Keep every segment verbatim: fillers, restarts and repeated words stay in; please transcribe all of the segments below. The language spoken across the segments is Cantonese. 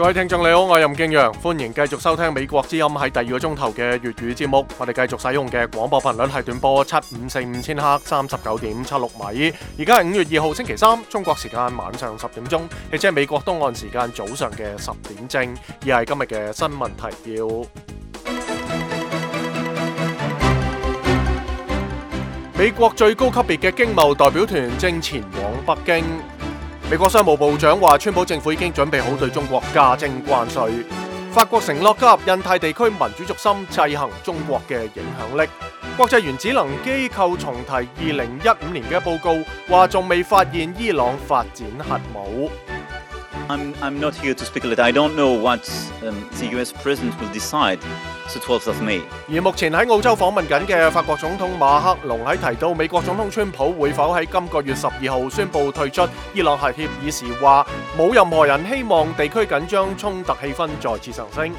各位聽眾你好，我係任敬陽，歡迎繼續收聽美國之音喺第二個鐘頭嘅粵語節目。我哋繼續使用嘅廣播頻率係短波七五四五千赫，三十九點七六米。而家係五月二號星期三，中國時間晚上十點鐘，亦即係美國東岸時間早上嘅十點正。以下係今日嘅新聞提要。美國最高級別嘅經貿代表團正前往北京。美國商務部長話，川普政府已經準備好對中國加徵關稅。法國承諾加入印太地區民主軸心，制衡中國嘅影響力。國際原子能機構重提二零一五年嘅報告，話仲未發現伊朗發展核武。I'm, I'm not here to speculate. I don't know what um, the U S President will decide the twelfth of May. 而目前喺澳洲訪問緊嘅法國總統馬克龍喺提到美國總統川普會否喺今個月十二號宣布退出伊朗核協議時，話冇任何人希望地區緊張衝突氣氛再次上升。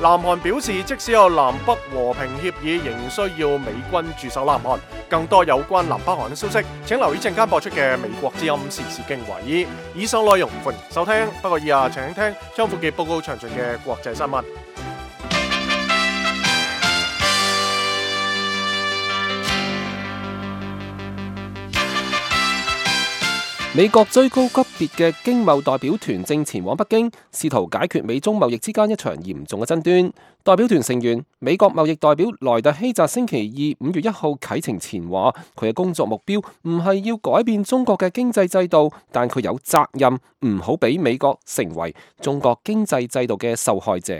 南韓表示，即使有南北和平協議，仍需要美軍駐守南韓。更多有關南北韓嘅消息，請留意陣間播出嘅美國之音時事經緯。以上內容歡迎收聽，不過以下請聽張富傑報告詳盡嘅國際新聞。美國最高級別嘅經貿代表團正前往北京，試圖解決美中貿易之間一場嚴重嘅爭端。代表團成員美國貿易代表萊特希澤星期二五月一號啟程前話，佢嘅工作目標唔係要改變中國嘅經濟制度，但佢有責任唔好俾美國成為中國經濟制度嘅受害者。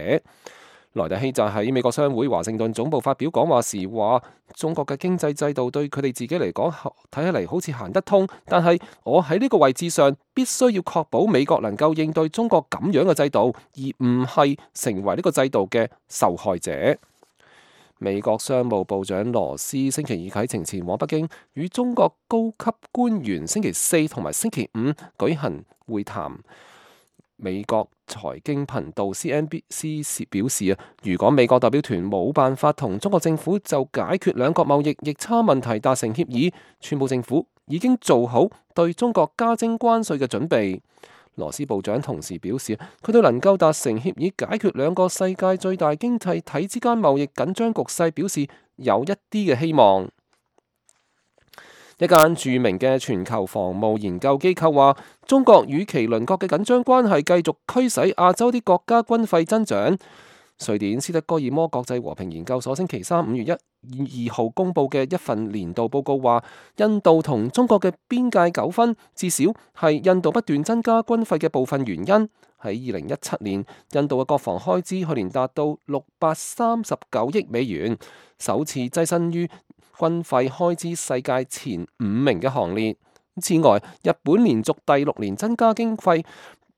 萊特希澤喺美國商會華盛頓總部發表講話時話，中國嘅經濟制度對佢哋自己嚟講睇起嚟好似行得通，但係我喺呢個位置上必須要確保美國能夠應對中國咁樣嘅制度，而唔係成為呢個制度嘅受害者。美國商務部長羅斯星期二啟程前往北京，與中國高級官員星期四同埋星期五舉行會談。美國財經頻道 C N B C 表示啊，如果美國代表團冇辦法同中國政府就解決兩國貿易逆差問題達成協議，川普政府已經做好對中國加徵關稅嘅準備。羅斯部長同時表示，佢對能夠達成協議解決兩個世界最大經濟體之間貿易緊張局勢表示有一啲嘅希望。一間著名嘅全球防務研究機構話，中國與其鄰國嘅緊張關係繼續驅使亞洲啲國家軍費增長。瑞典斯德哥爾摩國際和平研究所星期三五月一二號公佈嘅一份年度報告話，印度同中國嘅邊界糾紛至少係印度不斷增加軍費嘅部分原因。喺二零一七年，印度嘅國防開支去年達到六百三十九億美元，首次躋身於軍費開支世界前五名嘅行列。此外，日本連續第六年增加經費，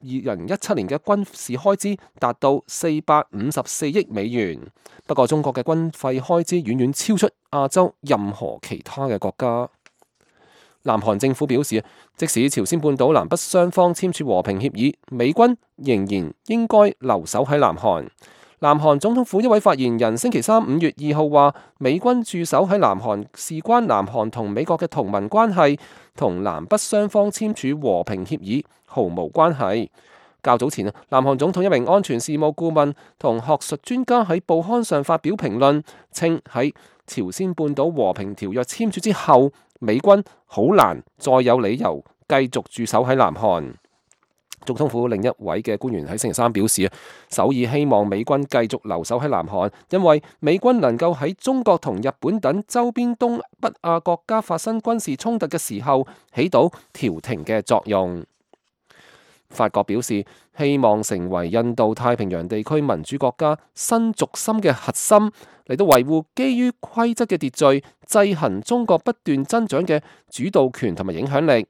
二零一七年嘅軍事開支達到四百五十四億美元。不過，中國嘅軍費開支遠遠超出亞洲任何其他嘅國家。南韓政府表示，即使朝鮮半島南北雙方簽署和平協議，美軍仍然應該留守喺南韓。南韓總統府一位發言人星期三五月二號話，美軍駐守喺南韓事關南韓同美國嘅同盟關係，同南北雙方簽署和平協議毫無關係。較早前，南韓總統一名安全事務顧問同學術專家喺報刊上發表評論，稱喺朝鮮半島和平條約簽署之後，美軍好難再有理由繼續駐守喺南韓。總統府另一位嘅官員喺星期三表示，首爾希望美軍繼續留守喺南韓，因為美軍能夠喺中國同日本等周邊東北亞國家發生軍事衝突嘅時候起到調停嘅作用。法國表示，希望成為印度太平洋地區民主國家新軸心嘅核心，嚟到維護基於規則嘅秩序，制衡中國不斷增長嘅主導權同埋影響力。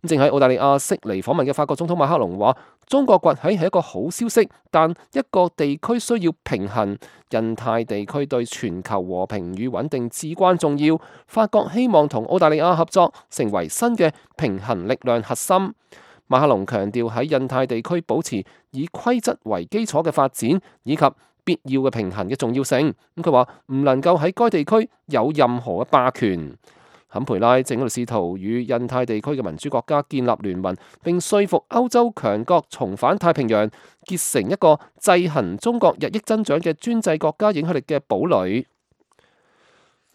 正喺澳大利亞悉尼訪問嘅法國總統馬克龍話，中國崛起係一個好消息，但一個地區需要平衡，印太地區對全球和平與穩定至關重要。法國希望同澳大利亞合作，成為新嘅平衡力量核心。馬克龍強調喺印太地區保持以規則為基礎嘅發展，以及必要嘅平衡嘅重要性。咁佢話唔能夠喺該地區有任何嘅霸權。坎培拉正喺度試圖與印太地區嘅民主國家建立聯盟，並說服歐洲強國重返太平洋，結成一個制衡中國日益增長嘅專制國家影響力嘅堡壘。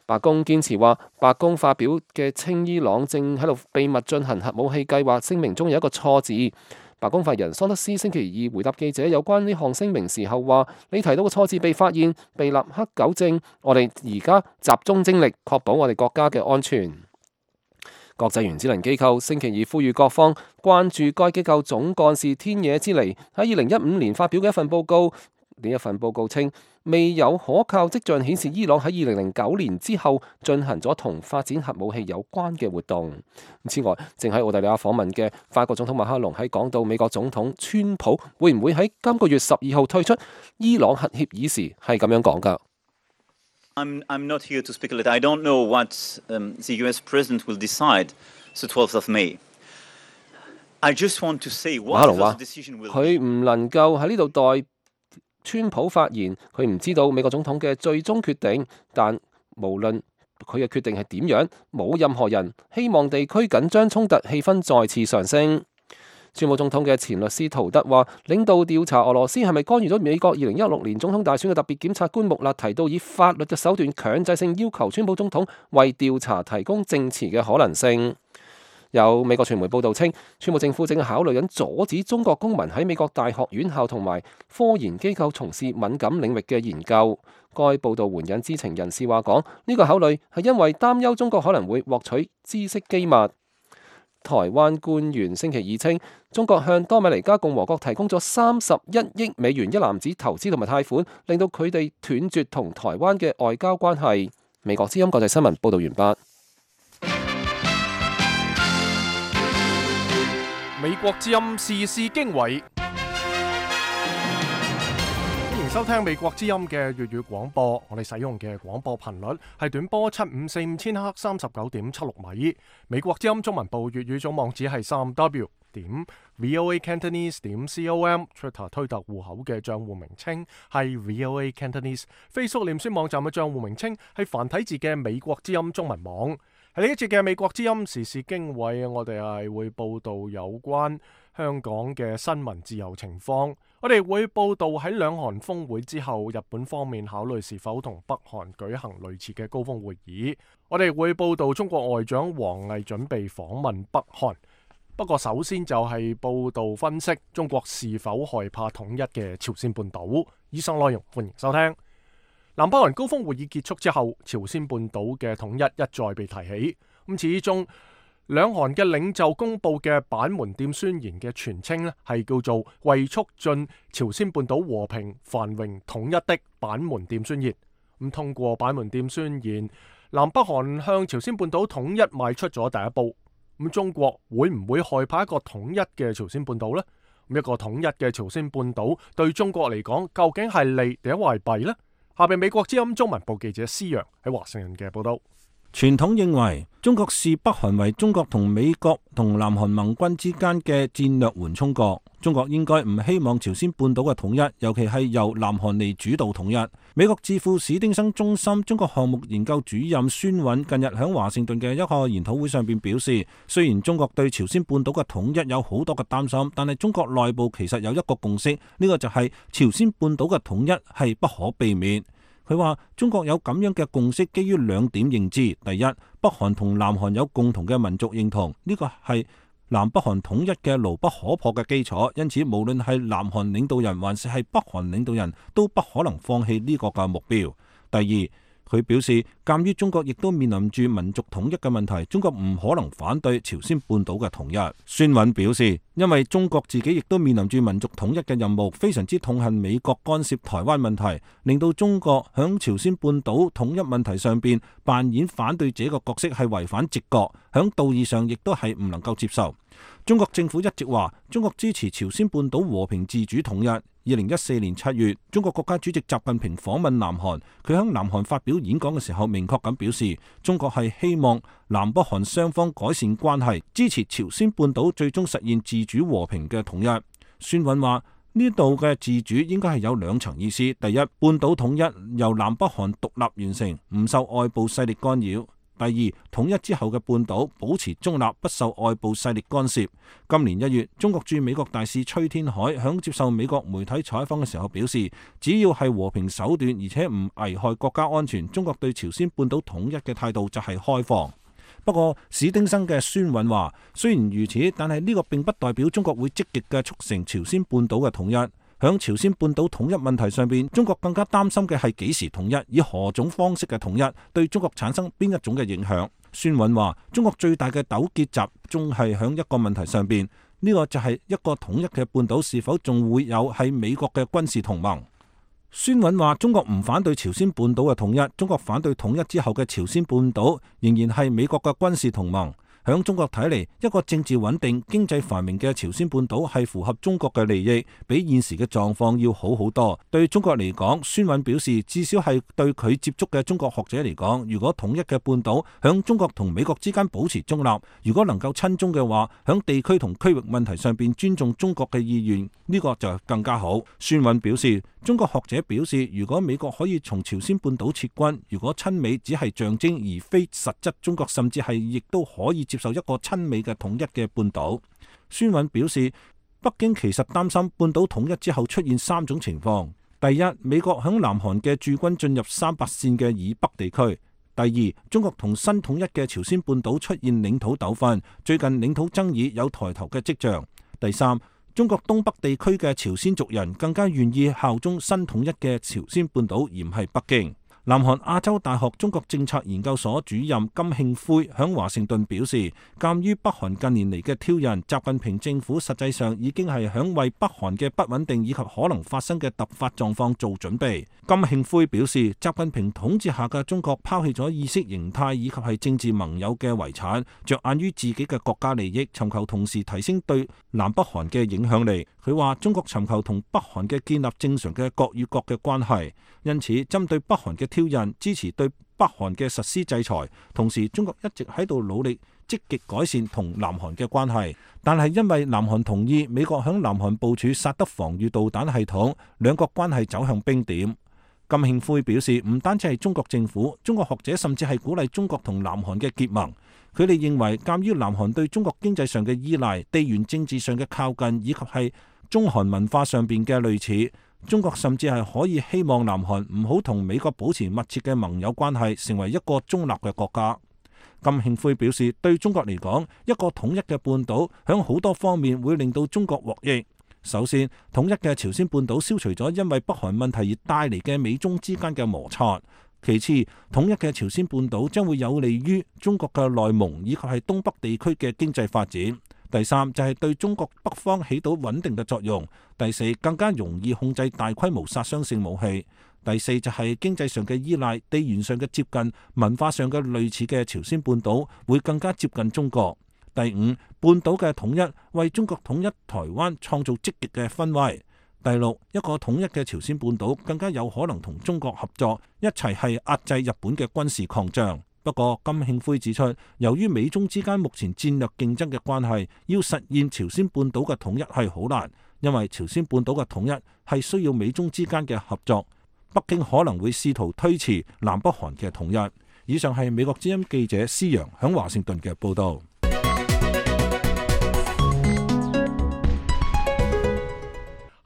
白宮堅持話，白宮發表嘅稱伊朗正喺度秘密進行核武器計劃聲明中有一個錯字。白宮發言人桑德斯星期二回答記者有關呢項聲明時候話：你提到嘅錯字被發現，被立刻糾正。我哋而家集中精力確保我哋國家嘅安全。國際原子能機構星期二呼籲各方關注該機構總幹事天野之彌喺二零一五年發表嘅一份報告。呢一份報告稱，未有可靠跡象顯示伊朗喺二零零九年之後進行咗同發展核武器有關嘅活動。此外，正喺澳大利亞訪問嘅法國總統馬克龍喺講到美國總統川普會唔會喺今個月十二號退出伊朗核協議時，係咁樣講㗎。I'm, I'm not here to speculate. I don't know what um, the U S president will decide the twelfth of May. I just want to say what the decision will be. 佢唔能夠喺呢度代川普發言，佢唔知道美國總統嘅最終決定，但無論佢嘅決定係點樣，冇任何人希望地區緊張衝突氣氛再次上升。川普總統嘅前律師陶德話，領導調查俄羅斯係咪干預咗美國二零一六年總統大選嘅特別檢察官穆勒提到以法律嘅手段強制性要求川普總統為調查提供證詞嘅可能性。有美國傳媒報道稱，川普政府正考慮緊阻止中國公民喺美國大學院校同埋科研機構從事敏感領域嘅研究。該報道援引知情人士話講，呢個考慮係因為擔憂中國可能會獲取知識機密。台灣官員星期二稱，中國向多米尼加共和國提供咗三十一億美元一籃子投資同埋貸款，令到佢哋斷絕同台灣嘅外交關係。美國之音國際新聞報道完畢。美國之音時事經緯，歡迎收聽美國之音嘅粵語廣播。我哋使用嘅廣播頻率係短波七五四五千赫三十九點七六米。美國之音中文部粵語總網址係三 w 點 voa cantonese 點 com。Twitter 推特戶口嘅賬戶名稱係 voa cantonese。Facebook 臉書網站嘅賬戶名稱係繁體字嘅美國之音中文網。喺呢一節嘅美國之音時事經緯，我哋係會報道有關香港嘅新聞自由情況。我哋會報道喺兩韓峰會之後，日本方面考慮是否同北韓舉行類似嘅高峰會議。我哋會報道中國外長王毅準備訪問北韓。不過首先就係報道分析中國是否害怕統一嘅朝鮮半島。以上內容歡迎收聽。南北韓高峰會議結束之後，朝鮮半島嘅統一一再被提起。咁始終兩韓嘅領袖公佈嘅板門店宣言嘅全稱咧，係叫做為促進朝鮮半島和平繁榮統一的板門店宣言。咁通過板門店宣言，南北韓向朝鮮半島統一邁出咗第一步。咁中國會唔會害怕一個統一嘅朝鮮半島呢？咁一個統一嘅朝鮮半島對中國嚟講，究竟係利定係弊呢？下邊美國之音中文部記者施陽喺華盛頓嘅報道。傳統認為中國視北韓為中國同美國同南韓盟軍之間嘅戰略緩衝國，中國應該唔希望朝鮮半島嘅統一，尤其係由南韓嚟主導統一。美國智庫史丁生中心中國項目研究主任孫韻近日喺華盛頓嘅一個研討會上邊表示，雖然中國對朝鮮半島嘅統一有好多嘅擔心，但係中國內部其實有一個共識，呢、這個就係朝鮮半島嘅統一係不可避免。佢話中國有咁樣嘅共識，基於兩點認知：第一，北韓同南韓有共同嘅民族認同，呢個係南北韓統一嘅牢不可破嘅基礎，因此無論係南韓領導人還是係北韓領導人都不可能放棄呢個嘅目標。第二，佢表示，鑑於中國亦都面臨住民族統一嘅問題，中國唔可能反對朝鮮半島嘅統一。孫韻表示，因為中國自己亦都面臨住民族統一嘅任務，非常之痛恨美國干涉台灣問題，令到中國響朝鮮半島統一問題上邊扮演反對者嘅角色係違反直覺，響道義上亦都係唔能夠接受。中國政府一直話，中國支持朝鮮半島和平自主統一。二零一四年七月，中國國家主席習近平訪問南韓，佢喺南韓發表演講嘅時候，明確咁表示，中國係希望南北韓雙方改善關係，支持朝鮮半島最終實現自主和平嘅統一。孫韻話，呢度嘅自主應該係有兩層意思：第一，半島統一由南北韓獨立完成，唔受外部勢力干擾；第二，統一之後嘅半島保持中立，不受外部勢力干涉。今年一月，中國駐美國大使崔天凱響接受美國媒體採訪嘅時候表示，只要係和平手段，而且唔危害國家安全，中國對朝鮮半島統一嘅態度就係開放。不過史丁生嘅孫允話，雖然如此，但係呢個並不代表中國會積極嘅促成朝鮮半島嘅統一。響朝鮮半島統一問題上邊，中國更加擔心嘅係幾時統一，以何種方式嘅統一，對中國產生邊一種嘅影響。孫允話，中國最大嘅糾結集中係響一個問題上邊，呢個就係一個統一嘅半島是否仲會有喺美國嘅軍事同盟。孫允話，中國唔反對朝鮮半島嘅統一，中國反對統一之後嘅朝鮮半島仍然係美國嘅軍事同盟。響中國睇嚟，一個政治穩定、經濟繁榮嘅朝鮮半島係符合中國嘅利益，比現時嘅狀況要好好多。對中國嚟講，孫允表示，至少係對佢接觸嘅中國學者嚟講，如果統一嘅半島響中國同美國之間保持中立，如果能夠親中嘅話，響地區同區域問題上邊尊重中國嘅意願，呢個就更加好。孫允表示，中國學者表示，如果美國可以從朝鮮半島撤軍，如果親美只係象徵而非實質，中國甚至係亦都可以接受一個親美嘅統一嘅半島。孫允表示，北京其實擔心半島統一之後出現三種情況：第一，美國響南韓嘅駐軍進入三八線嘅以北地區；第二，中國同新統一嘅朝鮮半島出現領土糾紛，最近領土爭議有抬頭嘅跡象；第三，中國東北地區嘅朝鮮族人更加願意效忠新統一嘅朝鮮半島，而唔係北京。南韓亞洲大學中國政策研究所主任金慶輝響華盛頓表示，鑑於北韓近年嚟嘅挑釁，習近平政府實際上已經係響為北韓嘅不穩定以及可能發生嘅突發狀況做準備。金慶輝表示，習近平統治下嘅中國拋棄咗意識形態以及係政治盟友嘅遺產，着眼於自己嘅國家利益，尋求同時提升對南北韓嘅影響力。佢話，中國尋求同北韓嘅建立正常嘅國與國嘅關係，因此針對北韓嘅挑釁，支持對北韓嘅實施制裁，同時中國一直喺度努力積極改善同南韓嘅關係，但係因為南韓同意美國響南韓部署薩德防禦導彈系統，兩國關係走向冰點。金慶輝表示，唔單止係中國政府，中國學者甚至係鼓勵中國同南韓嘅結盟。佢哋認為，鑑於南韓對中國經濟上嘅依賴、地緣政治上嘅靠近，以及係中韓文化上邊嘅類似，中國甚至係可以希望南韓唔好同美國保持密切嘅盟友關係，成為一個中立嘅國家。金慶輝表示，對中國嚟講，一個統一嘅半島響好多方面會令到中國獲益。首先，統一嘅朝鮮半島消除咗因為北韓問題而帶嚟嘅美中之間嘅摩擦。其次，統一嘅朝鮮半島將會有利於中國嘅內蒙以及係東北地區嘅經濟發展。第三，就係對中國北方起到穩定嘅作用。第四，更加容易控制大規模殺傷性武器。第四，就係經濟上嘅依賴、地緣上嘅接近、文化上嘅類似嘅朝鮮半島會更加接近中國。第五，半島嘅統一為中國統一台灣創造積極嘅氛圍。第六，一個統一嘅朝鮮半島更加有可能同中國合作，一齊係壓制日本嘅軍事擴張。不過金慶輝指出，由於美中之間目前戰略競爭嘅關係，要實現朝鮮半島嘅統一係好難，因為朝鮮半島嘅統一係需要美中之間嘅合作。北京可能會試圖推遲南北韓嘅統一。以上係美國之音記者施洋響華盛頓嘅報道。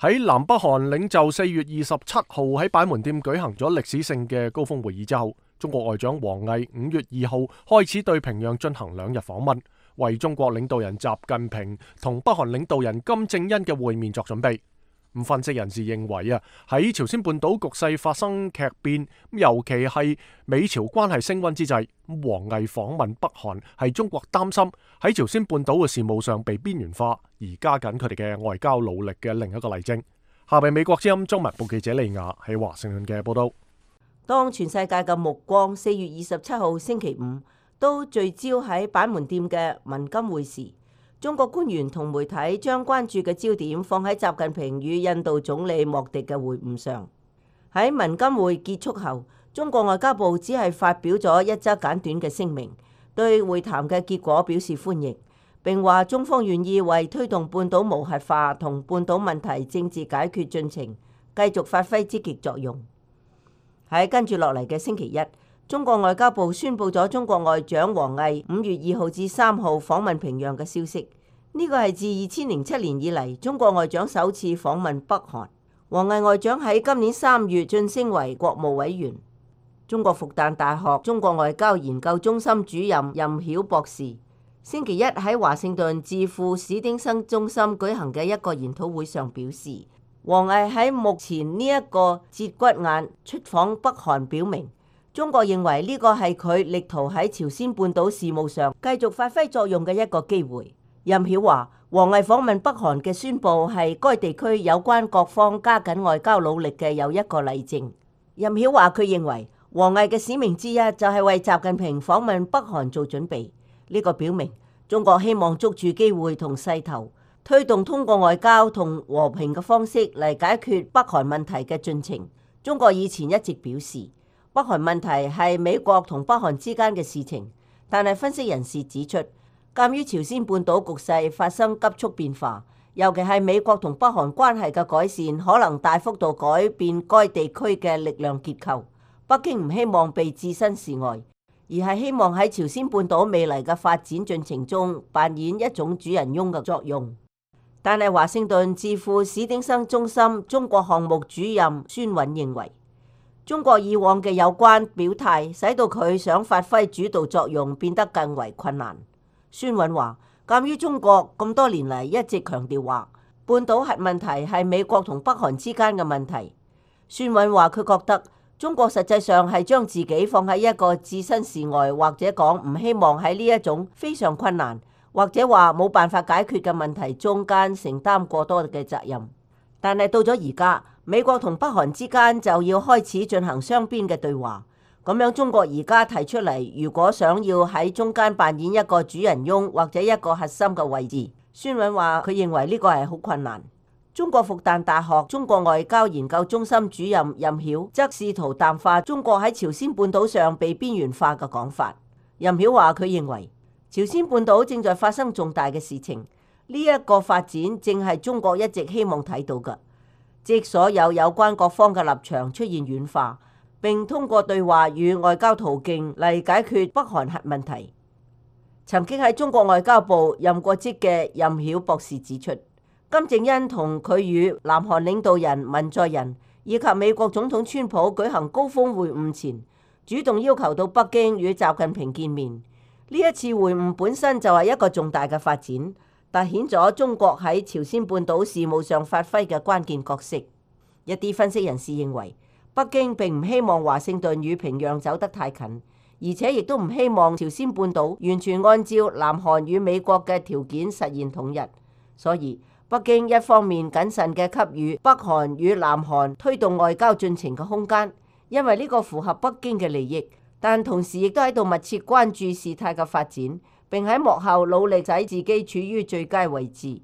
喺南北韓領袖四月二十七號喺板門店舉行咗歷史性嘅高峰會議之後，中國外長王毅五月二號開始對平壤進行兩日訪問，為中國領導人習近平同北韓領導人金正恩嘅會面作準備。咁分析人士認為啊，喺朝鮮半島局勢發生劇變，尤其係美朝關係升溫之際，王毅訪問北韓係中國擔心喺朝鮮半島嘅事務上被邊緣化，而加緊佢哋嘅外交努力嘅另一個例證。下邊美國之音中文部記者利亞喺華盛頓嘅報道。當全世界嘅目光四月二十七號星期五都聚焦喺板門店嘅文金會時，中國官員同媒體將關注嘅焦點放喺習近平與印度總理莫迪嘅會晤上。喺文金會結束後，中國外交部只係發表咗一則簡短嘅聲明，對會談嘅結果表示歡迎，並話中方願意為推動半島無核化同半島問題政治解決進程繼續發揮積極作用。喺跟住落嚟嘅星期一，中國外交部宣布咗中國外長王毅五月二號至三號訪問平壤嘅消息。呢個係自二千零七年以嚟中國外長首次訪問北韓。王毅外長喺今年三月晉升為國務委員。中國復旦大學中國外交研究中心主任任曉博士星期一喺華盛頓智庫史丁生中心舉行嘅一個研討會上表示，王毅喺目前呢一個節骨眼出訪北韓，表明中國認為呢個係佢力圖喺朝鮮半島事務上繼續發揮作用嘅一個機會。任曉話，王毅訪問北韓嘅宣佈係該地區有關各方加緊外交努力嘅又一個例證。任曉話，佢認為王毅嘅使命之一就係為習近平訪問北韓做準備。呢個表明中國希望捉住機會同勢頭，推動通過外交同和平嘅方式嚟解決北韓問題嘅進程。中國以前一直表示，北韓問題係美國同北韓之間嘅事情，但係分析人士指出，鑑於朝鮮半島局勢發生急速變化，尤其係美國同北韓關係嘅改善，可能大幅度改變該地區嘅力量結構。北京唔希望被置身事外，而係希望喺朝鮮半島未來嘅發展進程中扮演一種主人翁嘅作用。但係華盛頓智庫史丁生中心中國項目主任孫允認為，中國以往嘅有關表態，使到佢想發揮主導作用變得更為困難。孫允話，鑑於中國咁多年嚟一直強調話，半島核問題係美國同北韓之間嘅問題。孫允話，佢覺得中國實際上係將自己放喺一個置身事外，或者講唔希望喺呢一種非常困難，或者話冇辦法解決嘅問題中間承擔過多嘅責任。但係到咗而家，美國同北韓之間就要開始進行雙邊嘅對話，咁樣中國而家提出嚟，如果想要喺中間扮演一個主人翁或者一個核心嘅位置，孫允話佢認為呢個係好困難。中國復旦大學中國外交研究中心主任任曉則試圖淡化中國喺朝鮮半島上被邊緣化嘅講法。任曉話佢認為朝鮮半島正在發生重大嘅事情，呢一個發展正係中國一直希望睇到嘅，即所有有關各方嘅立場出現軟化，並通過對話與外交途徑嚟解決北韓核問題。曾經喺中國外交部任過職嘅任曉博士指出，金正恩同佢與南韓領導人文在寅以及美國總統川普舉行高峰會晤前，主動要求到北京與習近平見面。呢一次會晤本身就係一個重大嘅發展，凸顯咗中國喺朝鮮半島事務上發揮嘅關鍵角色。一啲分析人士認為，北京並唔希望華盛頓與平壤走得太近，而且亦都唔希望朝鮮半島完全按照南韓與美國嘅條件實現統一。所以北京一方面謹慎嘅給予北韓與南韓推動外交進程嘅空間，因為呢個符合北京嘅利益，但同時亦都喺度密切關注事態嘅發展，並喺幕後努力使自己處於最佳位置。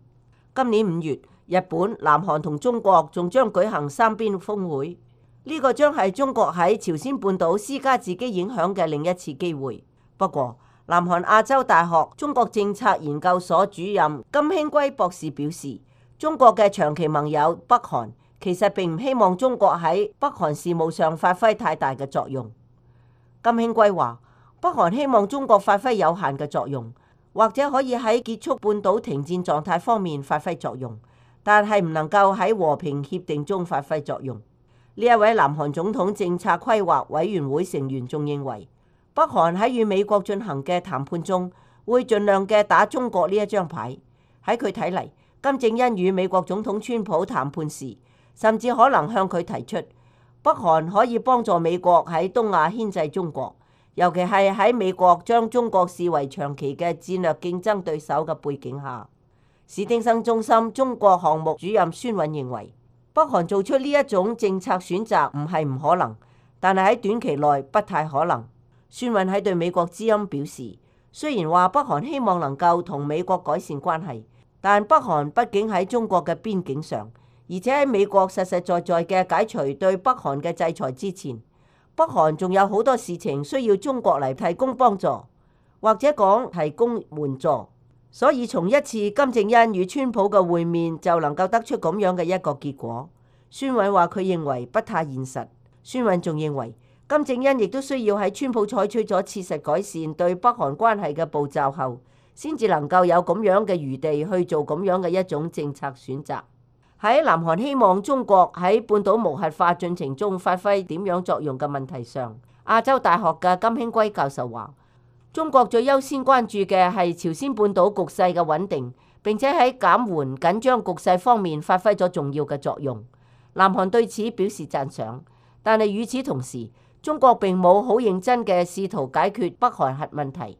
今年五月，日本、南韓同中國仲將舉行三邊峰會，呢個將係中國喺朝鮮半島施加自己影響嘅另一次機會。不過，南韓亞洲大學中國政策研究所主任金興圭博士表示，中國嘅長期盟友北韓其實並唔希望中國喺北韓事務上發揮太大嘅作用。金興圭話，北韓希望中國發揮有限嘅作用，或者可以喺結束半島停戰狀態方面發揮作用，但係唔能夠喺和平協定中發揮作用。呢一位南韓總統政策規劃委員會成員仲認為，北韓喺與美國進行嘅談判中，會盡量嘅打中國呢一張牌。喺佢睇嚟，金正恩與美國總統川普談判時，甚至可能向佢提出，北韓可以幫助美國喺東亞牽制中國，尤其係喺美國將中國視為長期嘅戰略競爭對手嘅背景下。史丁生中心中國項目主任孫允認為，北韓做出呢一種政策選擇唔係唔可能，但係喺短期內不太可能。孫允喺對美國之音表示，雖然話北韓希望能夠同美國改善關係，但北韓畢竟喺中國嘅邊境上，而且喺美國實實在在嘅解除對北韓嘅制裁之前，北韓仲有好多事情需要中國嚟提供幫助，或者講提供援助。所以從一次金正恩與川普嘅會面就能夠得出咁樣嘅一個結果。孫允話佢認為不太現實。孫允仲認為金正恩亦都需要喺川普採取咗切實改善對北韓關係嘅步驟後，先至能夠有咁樣嘅餘地去做咁樣嘅一種政策選擇。喺南韓希望中國喺半島無核化進程中發揮點樣作用嘅問題上，亞洲大學嘅金興圭教授話：中國最優先關注嘅係朝鮮半島局勢嘅穩定，並且喺減緩緊張局勢方面發揮咗重要嘅作用。南韓對此表示讚賞，但係與此同時，中國並冇好認真嘅試圖解決北韓核問題，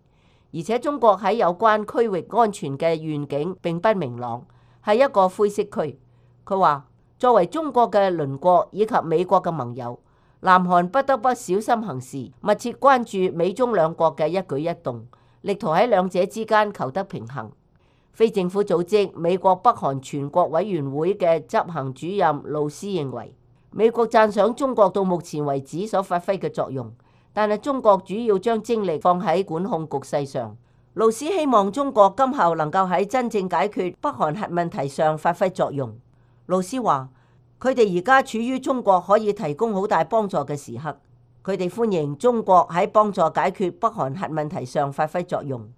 而且中國喺有關區域安全嘅願景並不明朗，係一個灰色區。佢話：作為中國嘅鄰國以及美國嘅盟友，南韓不得不小心行事，密切關注美中兩國嘅一舉一動，力圖喺兩者之間求得平衡。非政府組織美國北韓全國委員會嘅執行主任路斯認為，美國讚賞中國到目前為止所發揮嘅作用，但係中國主要將精力放喺管控局勢上。路斯希望中國今後能夠喺真正解決北韓核問題上發揮作用。路斯話：佢哋而家處於中國可以提供好大幫助嘅時刻，佢哋歡迎中國喺幫助解決北韓核問題上發揮作用。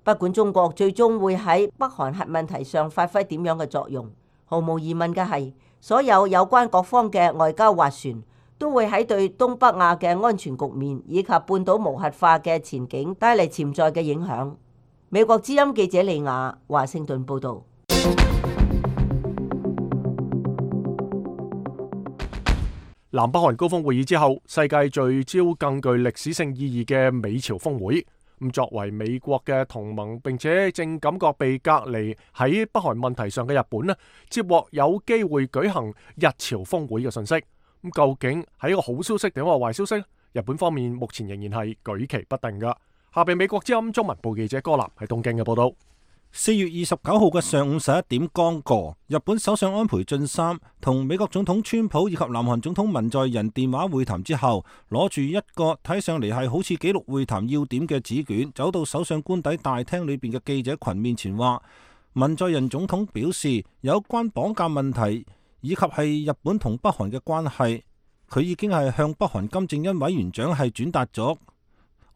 不管中國最終會喺北韓核問題上發揮點樣嘅作用，毫無疑問嘅係，所有有關各方嘅外交斡旋都會喺對東北亞嘅安全局面以及半島無核化嘅前景帶嚟潛在嘅影響。美國之音記者李雅華盛頓報導。南北韓高峰會議之後，世界聚焦更具歷史性意義嘅美朝峰會。咁作為美國嘅同盟，並且正感覺被隔離喺北韓問題上嘅日本呢，接獲有機會舉行日朝峰會嘅信息。咁究竟係一個好消息定係壞消息？日本方面目前仍然係舉棋不定噶。下邊美國之音中文部記者柯南喺東京嘅報道。四月二十九號嘅上午十一點剛過，日本首相安倍晉三同美國總統川普以及南韓總統文在寅電話會談之後，攞住一個睇上嚟係好似記錄會談要點嘅紙卷，走到首相官邸大廳裏邊嘅記者群面前話：文在寅總統表示，有關綁架問題以及係日本同北韓嘅關係，佢已經係向北韓金正恩委員長係轉達咗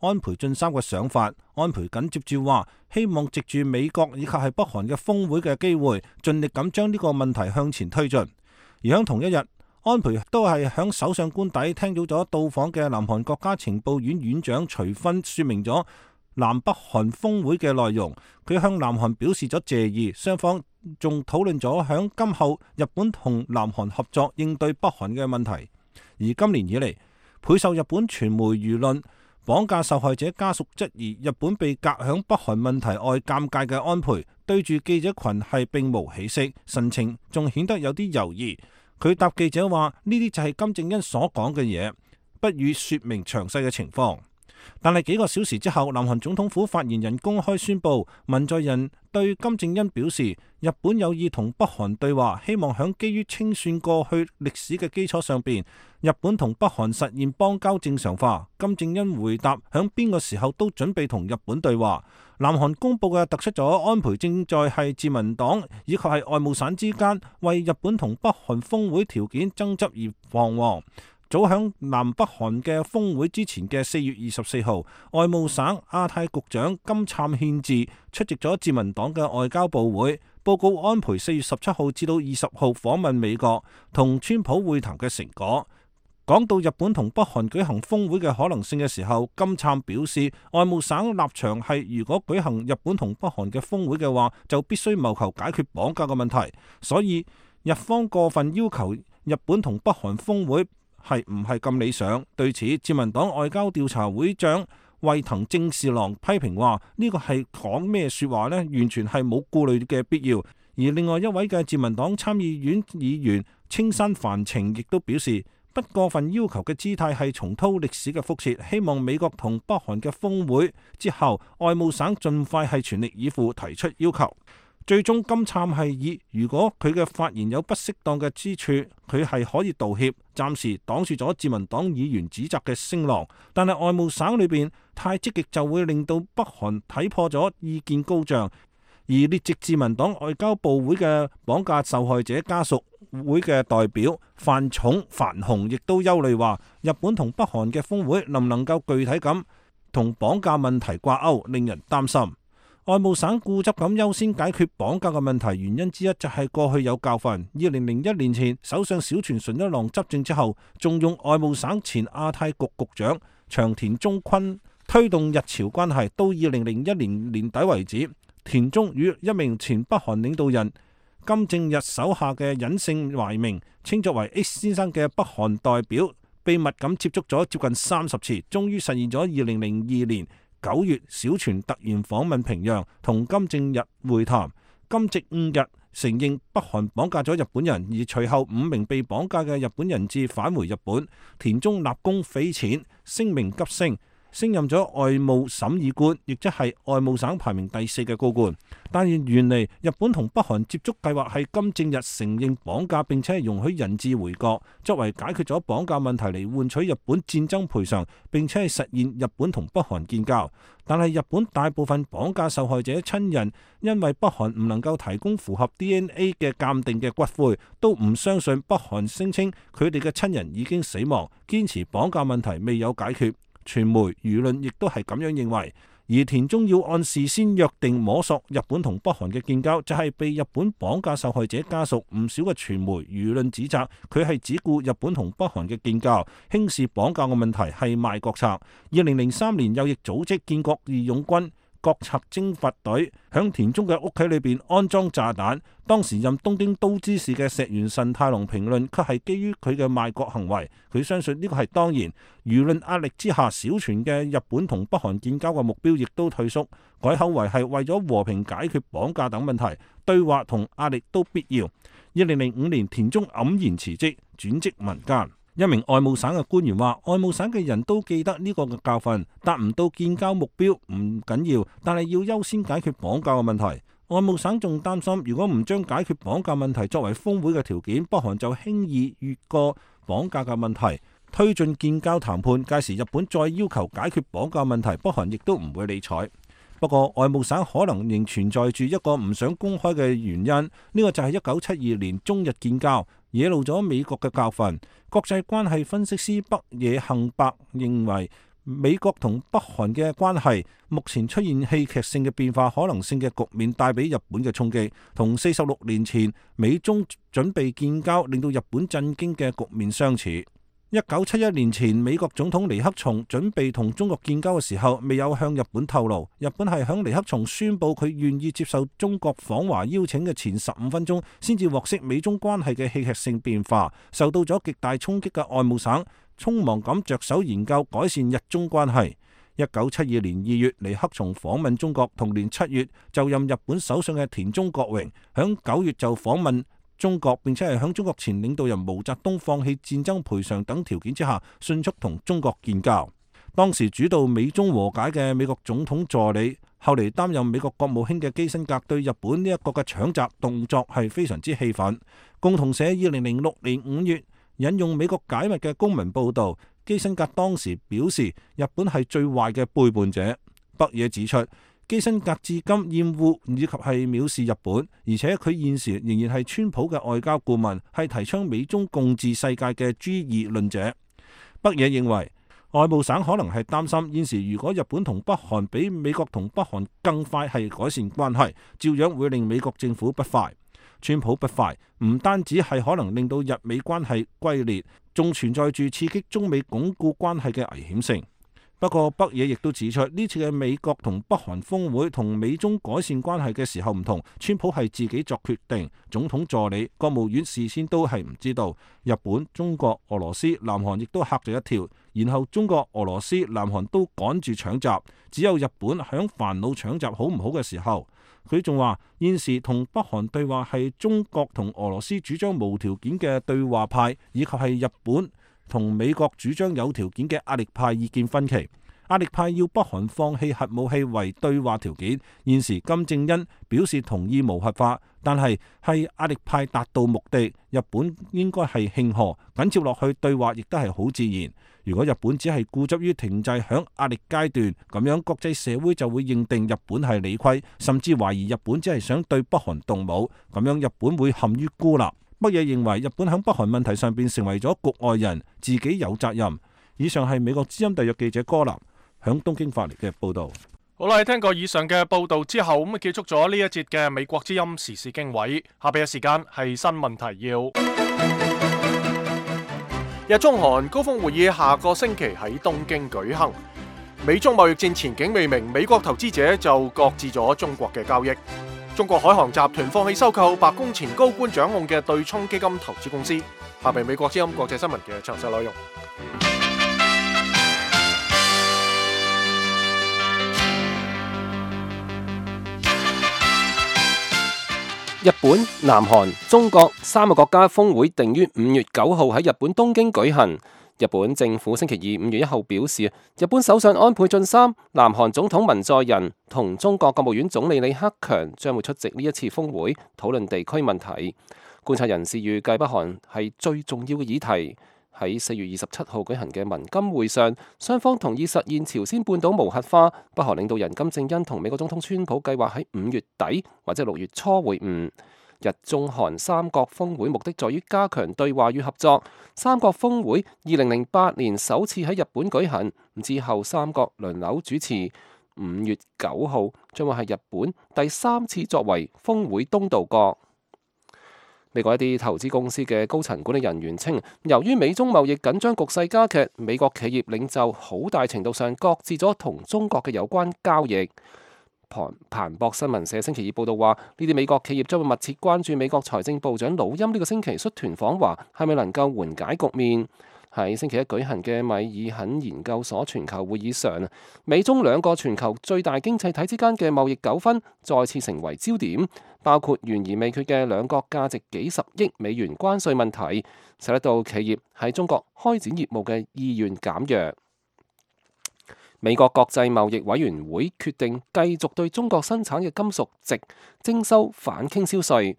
安倍晉三嘅想法。安倍緊接住話，希望藉住美國以及係北韓嘅峰會嘅機會，盡力咁將呢個問題向前推進。而喺同一日，安倍都係響首相官邸聽到咗到訪嘅南韓國家情報院院長徐薰說明咗南北韓峰會嘅內容。佢向南韓表示咗謝意，雙方仲討論咗響今後日本同南韓合作應對北韓嘅問題。而今年以嚟，倍受日本傳媒輿論綁架受害者家屬質疑日本被隔響北韓問題外尷尬嘅安倍，對住記者群係並無起色，神情仲顯得有啲猶豫。佢答記者話：呢啲就係金正恩所講嘅嘢，不予說明詳細嘅情況。但係幾個小時之後，南韓總統府發言人公開宣布，文在寅對金正恩表示，日本有意同北韓對話，希望響基於清算過去歷史嘅基礎上邊，日本同北韓實現邦交正常化。金正恩回答，響邊個時候都準備同日本對話。南韓公佈嘅突出咗安倍正在係自民黨以及係外務省之間為日本同北韓峰會條件爭執而彷徨。早響南北韓嘅峰會之前嘅四月二十四號，外務省亞太局長金燦憲治出席咗自民黨嘅外交部會，報告安倍四月十七號至到二十號訪問美國同川普會談嘅成果。講到日本同北韓舉行峰會嘅可能性嘅時候，金燦表示，外務省立場係如果舉行日本同北韓嘅峰會嘅話，就必須謀求解決綁架嘅問題。所以日方過分要求日本同北韓峰會係唔係咁理想？對此，自民黨外交調查會長衛藤正士郎批評話：呢個係講咩說話呢？完全係冇顧慮嘅必要。而另外一位嘅自民黨參議院議員青山繁晴亦都表示，不過分要求嘅姿態係重蹈歷史嘅覆轍，希望美國同北韓嘅峰會之後，外務省盡快係全力以赴提出要求。最終金燦係以如果佢嘅發言有不適當嘅之處，佢係可以道歉，暫時擋住咗自民黨議員指責嘅聲浪。但係外務省裏邊太積極就會令到北韓睇破咗意見高漲，而列席自民黨外交部會嘅綁架受害者家屬會嘅代表范重范雄亦都憂慮話，日本同北韓嘅峰會能唔能夠具體咁同綁架問題掛鈎，令人擔心。外務省固執咁優先解決綁架嘅問題，原因之一就係過去有教訓。二零零一年前，首相小泉純一郎執政之後，仲用外務省前亞太局局長長田忠坤推動日朝關係。到二零零一年年底為止，田中與一名前北韓領導人金正日手下嘅隱姓埋名，稱作為 X 先生嘅北韓代表，秘密咁接觸咗接近三十次，終於實現咗二零零二年九月小泉突然訪問平壤，同金正日會談。金正日承認北韓綁架咗日本人，而隨後五名被綁架嘅日本人質返回日本。田中立功匪淺，聲名急升，升任咗外務審議官，亦即係外務省排名第四嘅高官。但係原嚟日本同北韓接觸計劃係金正日承認綁架，並且係容許人質回國，作為解決咗綁架問題嚟換取日本戰爭賠償，並且係實現日本同北韓建交。但係日本大部分綁架受害者親人因為北韓唔能夠提供符合 D N A 嘅鑑定嘅骨灰，都唔相信北韓聲稱佢哋嘅親人已經死亡，堅持綁架問題未有解決。傳媒輿論亦都係咁樣認為。而田中要按事先約定摸索日本同北韓嘅建交，就係、是、被日本綁架受害者家屬唔少嘅傳媒輿論指責佢係只顧日本同北韓嘅建交，輕視綁架嘅問題係賣國策。二零零三年右翼組織建國義勇軍國策征伐隊響田中嘅屋企裏邊安裝炸彈，當時任東京都知事嘅石原慎太郎評論卻係基於佢嘅賣國行為，佢相信呢個係當然。輿論壓力之下，小泉嘅日本同北韓建交嘅目標亦都退縮，改口為係為咗和平解決綁架等問題，對話同壓力都必要。二零零五年，田中黯然辭職，轉職民間。一名外務省嘅官員話，外務省嘅人都記得呢個嘅教訓，達唔到建交目標唔緊要，但係要優先解決綁架嘅問題。外務省仲擔心，如果唔將解決綁架問題作為峰會嘅條件，北韓就輕易越過綁架嘅問題，推進建交談判。屆時日本再要求解決綁架問題，北韓亦都唔會理睬。不過外務省可能仍存在住一個唔想公開嘅原因，呢、這個就係一九七二年中日建交，惹怒咗美國嘅教訓。國際關係分析師北野幸伯認為，美國同北韓嘅關係目前出現戲劇性嘅變化可能性嘅局面，帶俾日本嘅衝擊，同四十六年前美中準備建交令到日本震驚嘅局面相似。一九七一年前，美國總統尼克松準備同中國建交嘅時候，未有向日本透露。日本係響尼克松宣布佢願意接受中國訪華邀請嘅前十五分鐘，先至獲悉美中關係嘅戲劇性變化。受到咗極大衝擊嘅外務省，匆忙咁着手研究改善日中關係。一九七二年二月，尼克松訪問中國，同年七月就任日本首相嘅田中角榮，響九月就訪問中國，並且係響中國前領導人毛澤東放棄戰爭賠償等條件之下，迅速同中國建交。當時主導美中和解嘅美國總統助理，後嚟擔任美國國務卿嘅基辛格，對日本呢一個嘅搶閘動作係非常之氣憤。共同社二零零六年五月引用美國解密嘅公民報導，基辛格當時表示日本係最壞嘅背叛者。北野指出，基辛格至今厭惡以及係藐視日本，而且佢現時仍然係川普嘅外交顧問，係提倡美中共治世界嘅 G 二論者。北野認為，外務省可能係擔心現時如果日本同北韓比美國同北韓更快係改善關係，照樣會令美國政府不快。川普不快唔單止係可能令到日美關係龜裂，仲存在住刺激中美鞏固關係嘅危險性。不過北野亦都指出，呢次嘅美國同北韓峰會同美中改善關係嘅時候唔同，川普係自己作決定，總統助理、國務院事先都係唔知道。日本、中國、俄羅斯、南韓亦都嚇咗一跳，然後中國、俄羅斯、南韓都趕住搶閘，只有日本響煩惱搶閘好唔好嘅時候。佢仲話現時同北韓對話係中國同俄羅斯主張無條件嘅對話派，以及係日本同美國主張有條件嘅壓力派意見分歧。壓力派要北韓放棄核武器為對話條件。現時金正恩表示同意無核化，但係係壓力派達到目的，日本應該係慶賀，緊接落去對話亦都係好自然。如果日本只係固執於停滯響壓力階段，咁樣國際社會就會認定日本係理虧，甚至懷疑日本只係想對北韓動武，咁樣日本會陷於孤立。北野認為日本響北韓問題上邊成為咗局外人，自己有責任。以上係美國之音特約記者柯南響東京發嚟嘅報道。好啦，聽過以上嘅報道之後，咁啊結束咗呢一節嘅美國之音時事經緯。下邊嘅時間係新聞提要。日中韓高峰會議下個星期喺東京舉行。美中貿易戰前景未明，美國投資者就擱置咗中國嘅交易。中國海航集團放棄收購白宮前高官掌控嘅對沖基金投資公司。下邊美國之音國際新聞嘅詳細內容。日本、南韓、中國三個國家峰會定於五月九號喺日本東京舉行。日本政府星期二五月一號表示，日本首相安倍晉三、南韓總統文在寅同中國國務院總理李克強將會出席呢一次峰會，討論地區問題。觀察人士預計北韓係最重要嘅議題。喺四月二十七號舉行嘅文金會上，雙方同意實現朝鮮半島無核化。北韓領導人金正恩同美國總統川普計劃喺五月底或者六月初會晤。日中韓三國峰會目的在於加強對話與合作。三國峰會二零零八年首次喺日本舉行，之後三國輪流主持。五月九號將會係日本第三次作為峰會東道國。美國一啲投資公司嘅高層管理人員稱，由於美中貿易緊張局勢加劇，美國企業領袖好大程度上擱置咗同中國嘅有關交易。彭彭博新聞社星期二報道話，呢啲美國企業將會密切關注美國財政部長魯欽呢個星期率團訪華，係咪能夠緩解局面。喺星期一舉行嘅米爾肯研究所全球會議上，美中兩個全球最大經濟體之間嘅貿易糾紛再次成為焦點，包括懸而未決嘅兩國價值幾十億美元關稅問題，使得到企業喺中國開展業務嘅意願減弱。美國國際貿易委員會決定繼續對中國生產嘅金屬值徵收反傾銷稅。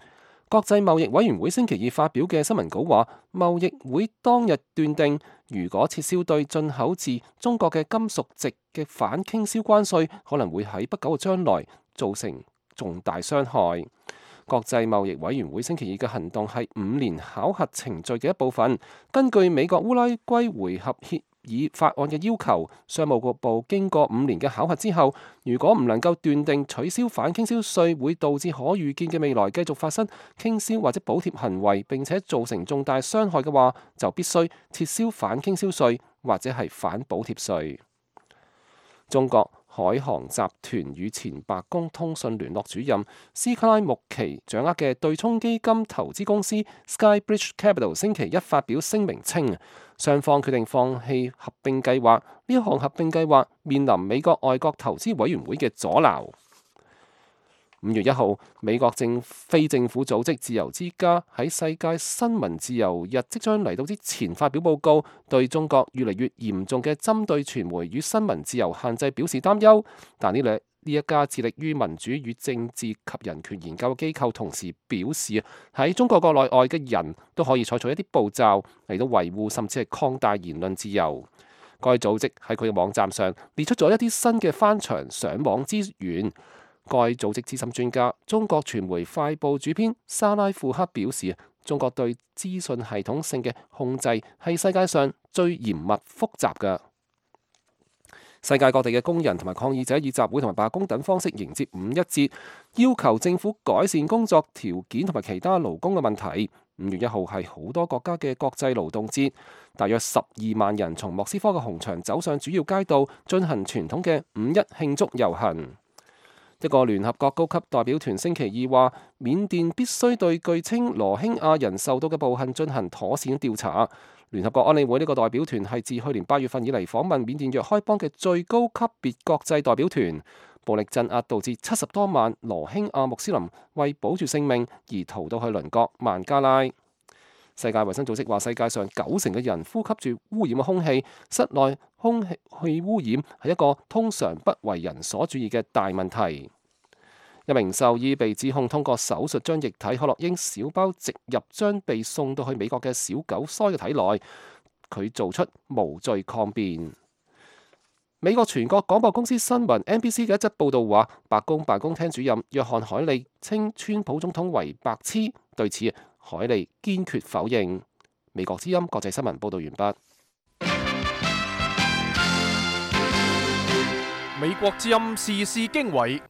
國際貿易委員會星期二發表嘅新聞稿話，貿易會當日斷定，如果撤銷對進口自中國嘅金屬值嘅反傾銷關稅，可能會喺不久嘅將來造成重大傷害。國際貿易委員會星期二嘅行動係五年考核程序嘅一部分。根據美國烏拉圭回合協議法案嘅要求，商務局部經過五年嘅考核之後，如果唔能夠斷定取消反傾銷稅會導致可預見嘅未來繼續發生傾銷或者補貼行為，並且造成重大傷害嘅話，就必須撤銷反傾銷稅或者係反補貼稅。中國海航集團與前白宮通訊聯絡主任斯卡拉穆奇掌握嘅對沖基金投資公司 Skybridge Capital 星期一發表聲明稱，雙方決定放棄合併計劃。呢一項合併計劃面臨美國外國投資委員會嘅阻撓。五月一號，美國政非政府組織自由之家喺世界新聞自由日即將嚟到之前發表報告，對中國越嚟越嚴重嘅針對傳媒與新聞自由限制表示擔憂。但呢兩呢一家致力於民主與政治及人權研究機構同時表示，喺中國國內外嘅人都可以採取一啲步驟嚟到維護甚至係擴大言論自由。該組織喺佢嘅網站上列出咗一啲新嘅翻牆上網資源。該組織資深專家、中國傳媒快報主編沙拉庫克表示，中國對資訊系統性嘅控制係世界上最嚴密複雜嘅。世界各地嘅工人同埋抗議者以集會同埋罷工等方式迎接五一節，要求政府改善工作條件同埋其他勞工嘅問題。五月一號係好多國家嘅國際勞動節，大約十二萬人從莫斯科嘅紅場走上主要街道，進行傳統嘅五一慶祝遊行。一個聯合國高級代表團星期二話，緬甸必須對據稱羅興亞人受到嘅暴行進行妥善調查。聯合國安理會呢個代表團係自去年八月份以嚟訪問緬甸若開邦嘅最高級別國際代表團。暴力鎮壓導致七十多萬羅興亞穆斯林為保住性命而逃到去鄰國孟加拉。世界衛生組織話，世界上九成嘅人呼吸住污染嘅空氣，室內空氣污染係一個通常不為人所注意嘅大問題。一名獸醫被指控通過手術將液體可樂因小包植入將被送到去美國嘅小狗腮嘅體內，佢做出無罪抗辯。美國全國廣播公司新聞 N B C 嘅一則報導話，白宮辦公廳主任約翰海利稱川普總統為白痴，對此海利堅決否認。美國之音國際新聞報導完畢。美國之音時事經緯。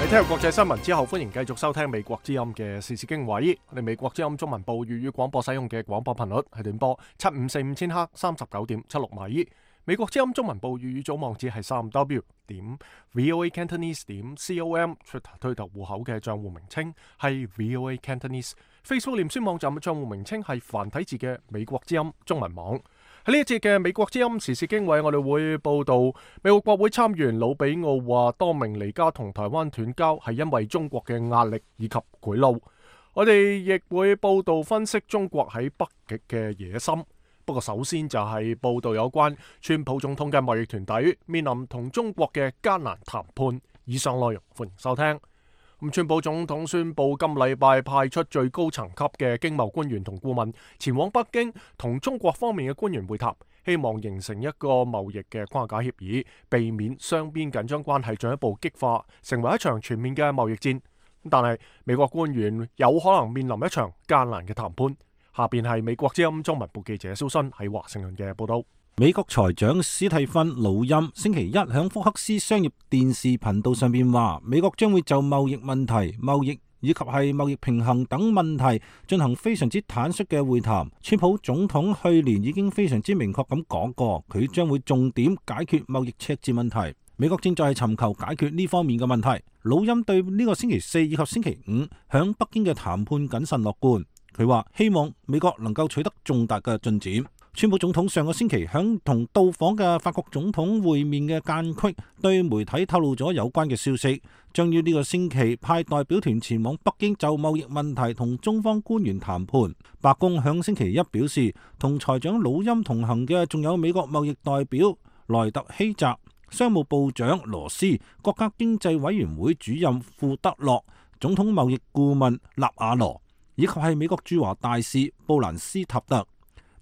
你聽完國際新聞之後，歡迎繼續收聽美國之音嘅時事經緯。我哋美國之音中文部粵語廣播使用嘅廣播頻率係短波七五四五千赫三十九點七六米。美國之音中文部粵語組網址係三 w 點 voa cantonese 點 com。Twitter 推特戶口嘅賬戶名稱係 voa cantonese。Facebook 臉書網站嘅賬戶名稱係繁體字嘅美國之音中文網。喺呢一節嘅美國之音時事經緯，我哋會報道美國國會參議員魯比奧話，多名尼加同台灣斷交係因為中國嘅壓力以及賄賂。我哋亦會報道分析中國喺北極嘅野心。不過首先就係報道有關川普總統嘅貿易團隊面臨同中國嘅艱難談判。以上內容歡迎收聽。咁川普總統宣布今禮拜派出最高層級嘅經貿官員同顧問前往北京，同中國方面嘅官員會談，希望形成一個貿易嘅框架協議，避免雙邊緊張關係進一步激化，成為一場全面嘅貿易戰。但係美國官員有可能面臨一場艱難嘅談判。下邊係美國之音中文部記者蕭新喺華盛頓嘅報道。美國財長史蒂芬魯欽星期一響福克斯商業電視頻道上邊話，美國將會就貿易問題、貿易以及係貿易平衡等問題進行非常之坦率嘅會談。川普總統去年已經非常之明確咁講過，佢將會重點解決貿易赤字問題。美國正在尋求解決呢方面嘅問題。魯欽對呢個星期四以及星期五響北京嘅談判謹慎樂觀。佢話希望美國能夠取得重大嘅進展。川普總統上個星期響同到訪嘅法國總統會面嘅間隙，對媒體透露咗有關嘅消息，將於呢個星期派代表團前往北京就貿易問題同中方官員談判。白宮響星期一表示，同財長魯欽同行嘅仲有美國貿易代表萊特希澤、商務部長羅斯、國家經濟委員會主任庫德洛、總統貿易顧問納瓦羅，以及係美國駐華大使布蘭斯塔特。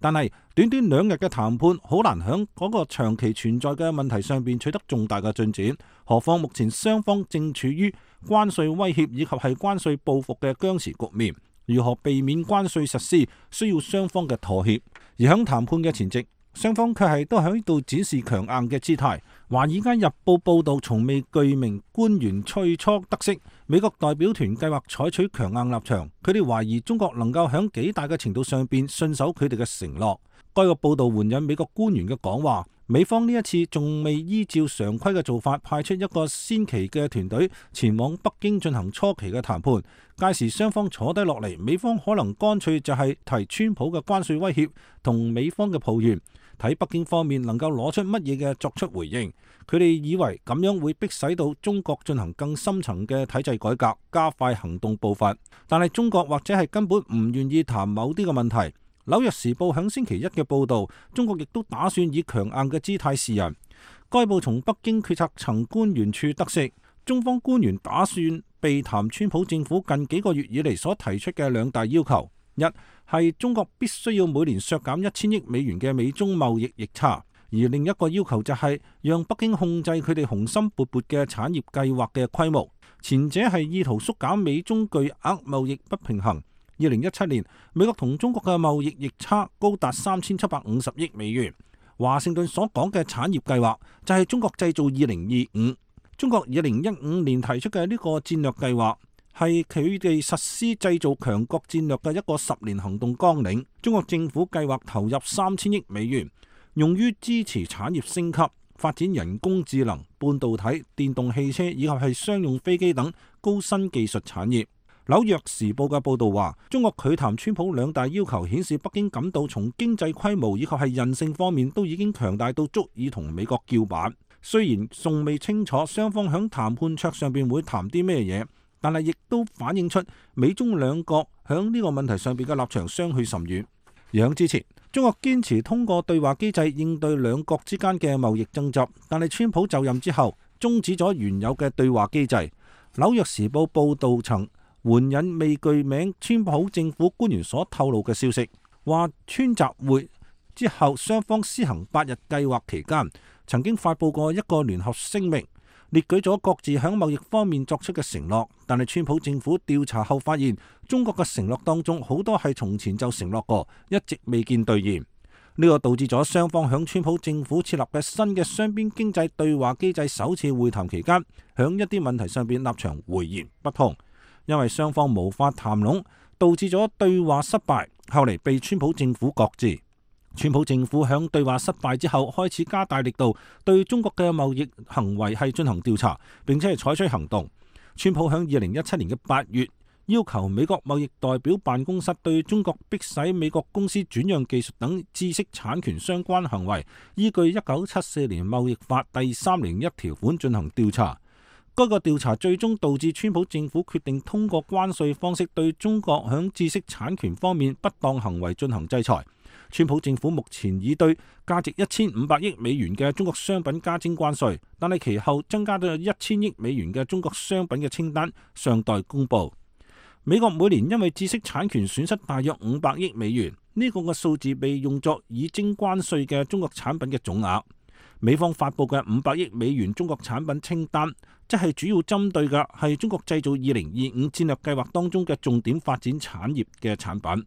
但係短短兩日嘅談判，好難響嗰個長期存在嘅問題上邊取得重大嘅進展。何況目前雙方正處於關稅威脅以及係關稅報復嘅僵持局面，如何避免關稅實施，需要雙方嘅妥協。而響談判嘅前夕，雙方卻係都喺度展示強硬嘅姿態。華爾街日報報道，從未具名官員最初得悉，美國代表團計劃採取強硬立場，佢哋懷疑中國能夠響幾大嘅程度上邊信守佢哋嘅承諾。該個報道援引美國官員嘅講話，美方呢一次仲未依照常規嘅做法派出一個先期嘅團隊前往北京進行初期嘅談判，屆時雙方坐低落嚟，美方可能乾脆就係提川普嘅關稅威脅同美方嘅抱怨，睇北京方面能夠攞出乜嘢嘅作出回應。佢哋以為咁樣會迫使到中國進行更深層嘅體制改革，加快行動步伐。但係中國或者係根本唔願意談某啲嘅問題。紐約時報響星期一嘅報道，中國亦都打算以強硬嘅姿態示人。該報從北京決策層官員處得悉，中方官員打算避談川普政府近幾個月以嚟所提出嘅兩大要求：一係中國必須要每年削減一千億美元嘅美中貿易逆差，而另一個要求就係讓北京控制佢哋雄心勃勃嘅產業計劃嘅規模。前者係意圖縮減美中巨額貿易不平衡。二零一七年，美國同中國嘅貿易逆差高達三千七百五十億美元。華盛頓所講嘅產業計劃就係中國製造二零二五。中國二零一五年提出嘅呢個戰略計劃係佢哋實施製造強國戰略嘅一個十年行動綱領。中國政府計劃投入三千億美元，用於支持產業升級、發展人工智能、半導體、電動汽車以及係商用飛機等高新技術產業。紐約時報嘅報道話，中國拒談川普兩大要求，顯示北京感到從經濟規模以及係韌性方面都已經強大到足以同美國叫板。雖然仲未清楚雙方響談判桌上邊會談啲咩嘢，但係亦都反映出美中兩國響呢個問題上邊嘅立場相去甚遠。而響之前，中國堅持通過對話機制應對兩國之間嘅貿易爭執，但係川普就任之後終止咗原有嘅對話機制。紐約時報報導曾援引未具名川普政府官員所透露嘅消息，話川習會之後雙方施行八日計劃期間，曾經發布過一個聯合聲明，列舉咗各自喺貿易方面作出嘅承諾，但係川普政府調查後發現，中國嘅承諾當中好多係從前就承諾過，一直未見兌現。呢個導致咗雙方響川普政府設立嘅新嘅雙邊經濟對話機制首次會談期間，響一啲問題上邊立場迥然不同，因為雙方無法談攏，導致咗對話失敗，後嚟被川普政府擱置。川普政府響對話失敗之後，開始加大力度對中國嘅貿易行為係進行調查，並且係採取行動。川普響二零一七年嘅八月，要求美國貿易代表辦公室對中國迫使美國公司轉讓技術等知識產權相關行為，依據一九七四年貿易法第三零一條款進行調查。該個調查最終導致川普政府決定通過關稅方式對中國響知識產權方面不當行為進行制裁。川普政府目前已對價值一千五百億美元嘅中國商品加徵關稅，但係其後增加到一千億美元嘅中國商品嘅清單尚待公布。美國每年因為知識產權損失大約五百億美元，呢、這個嘅數字被用作已徵關稅嘅中國產品嘅總額。美方發布嘅五百億美元中國產品清單，即係主要針對嘅係中國製造二零二五戰略計劃當中嘅重點發展產業嘅產品。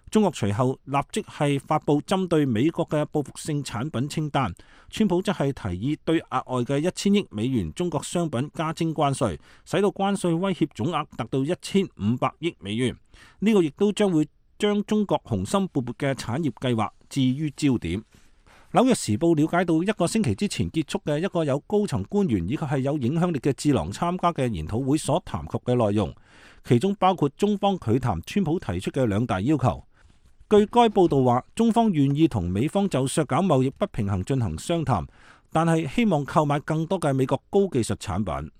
中國隨後立即係發布針對美國嘅報復性產品清單，川普則係提議對額外嘅一千億美元中國商品加徵關稅，使到關稅威脅總額達到一千五百億美元。呢、這個亦都將會將中國雄心勃勃嘅產業計劃置於焦點。紐約時報了解到，一個星期之前結束嘅一個有高層官員以及係有影響力嘅智囊參加嘅研討會所談及嘅內容，其中包括中方拒談川普提出嘅兩大要求。據該報道話，中方願意同美方就削減貿易不平衡進行商談，但係希望購買更多嘅美國高技術產品。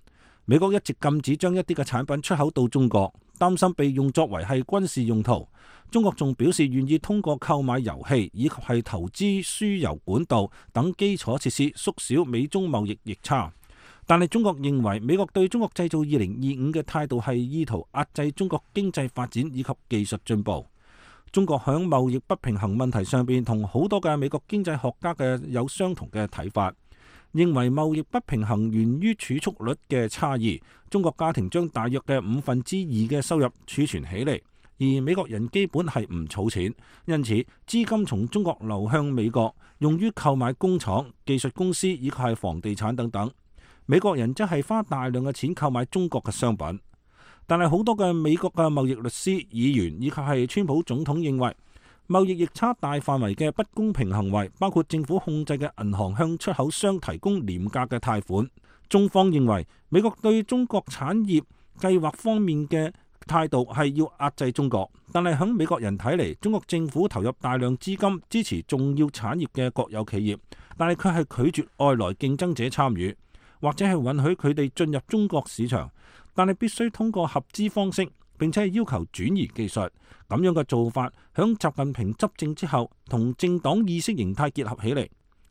美國一直禁止將一啲嘅產品出口到中國，擔心被用作為係軍事用途。中國仲表示願意通過購買油氣以及係投資輸油管道等基礎設施縮小美中貿易逆差。但係中國認為美國對中國製造二零二五嘅態度係意圖壓制中國經濟發展以及技術進步。中國喺貿易不平衡問題上邊同好多嘅美國經濟學家嘅有相同嘅睇法，認為貿易不平衡源於儲蓄率嘅差異。中國家庭將大約嘅五分之二嘅收入儲存起嚟，而美國人基本係唔儲錢，因此資金從中國流向美國，用於購買工廠、技術公司以及係房地產等等。美國人則係花大量嘅錢購買中國嘅商品。但係好多嘅美國嘅貿易律師、議員以及係川普總統認為，貿易逆差大範圍嘅不公平行為，包括政府控制嘅銀行向出口商提供廉價嘅貸款。中方認為美國對中國產業計劃方面嘅態度係要壓制中國，但係喺美國人睇嚟，中國政府投入大量資金支持重要產業嘅國有企業，但係佢係拒絕外來競爭者參與，或者係允許佢哋進入中國市場。但係必須通過合資方式，並且係要求轉移技術。咁樣嘅做法，響習近平執政之後，同政黨意識形態結合起嚟。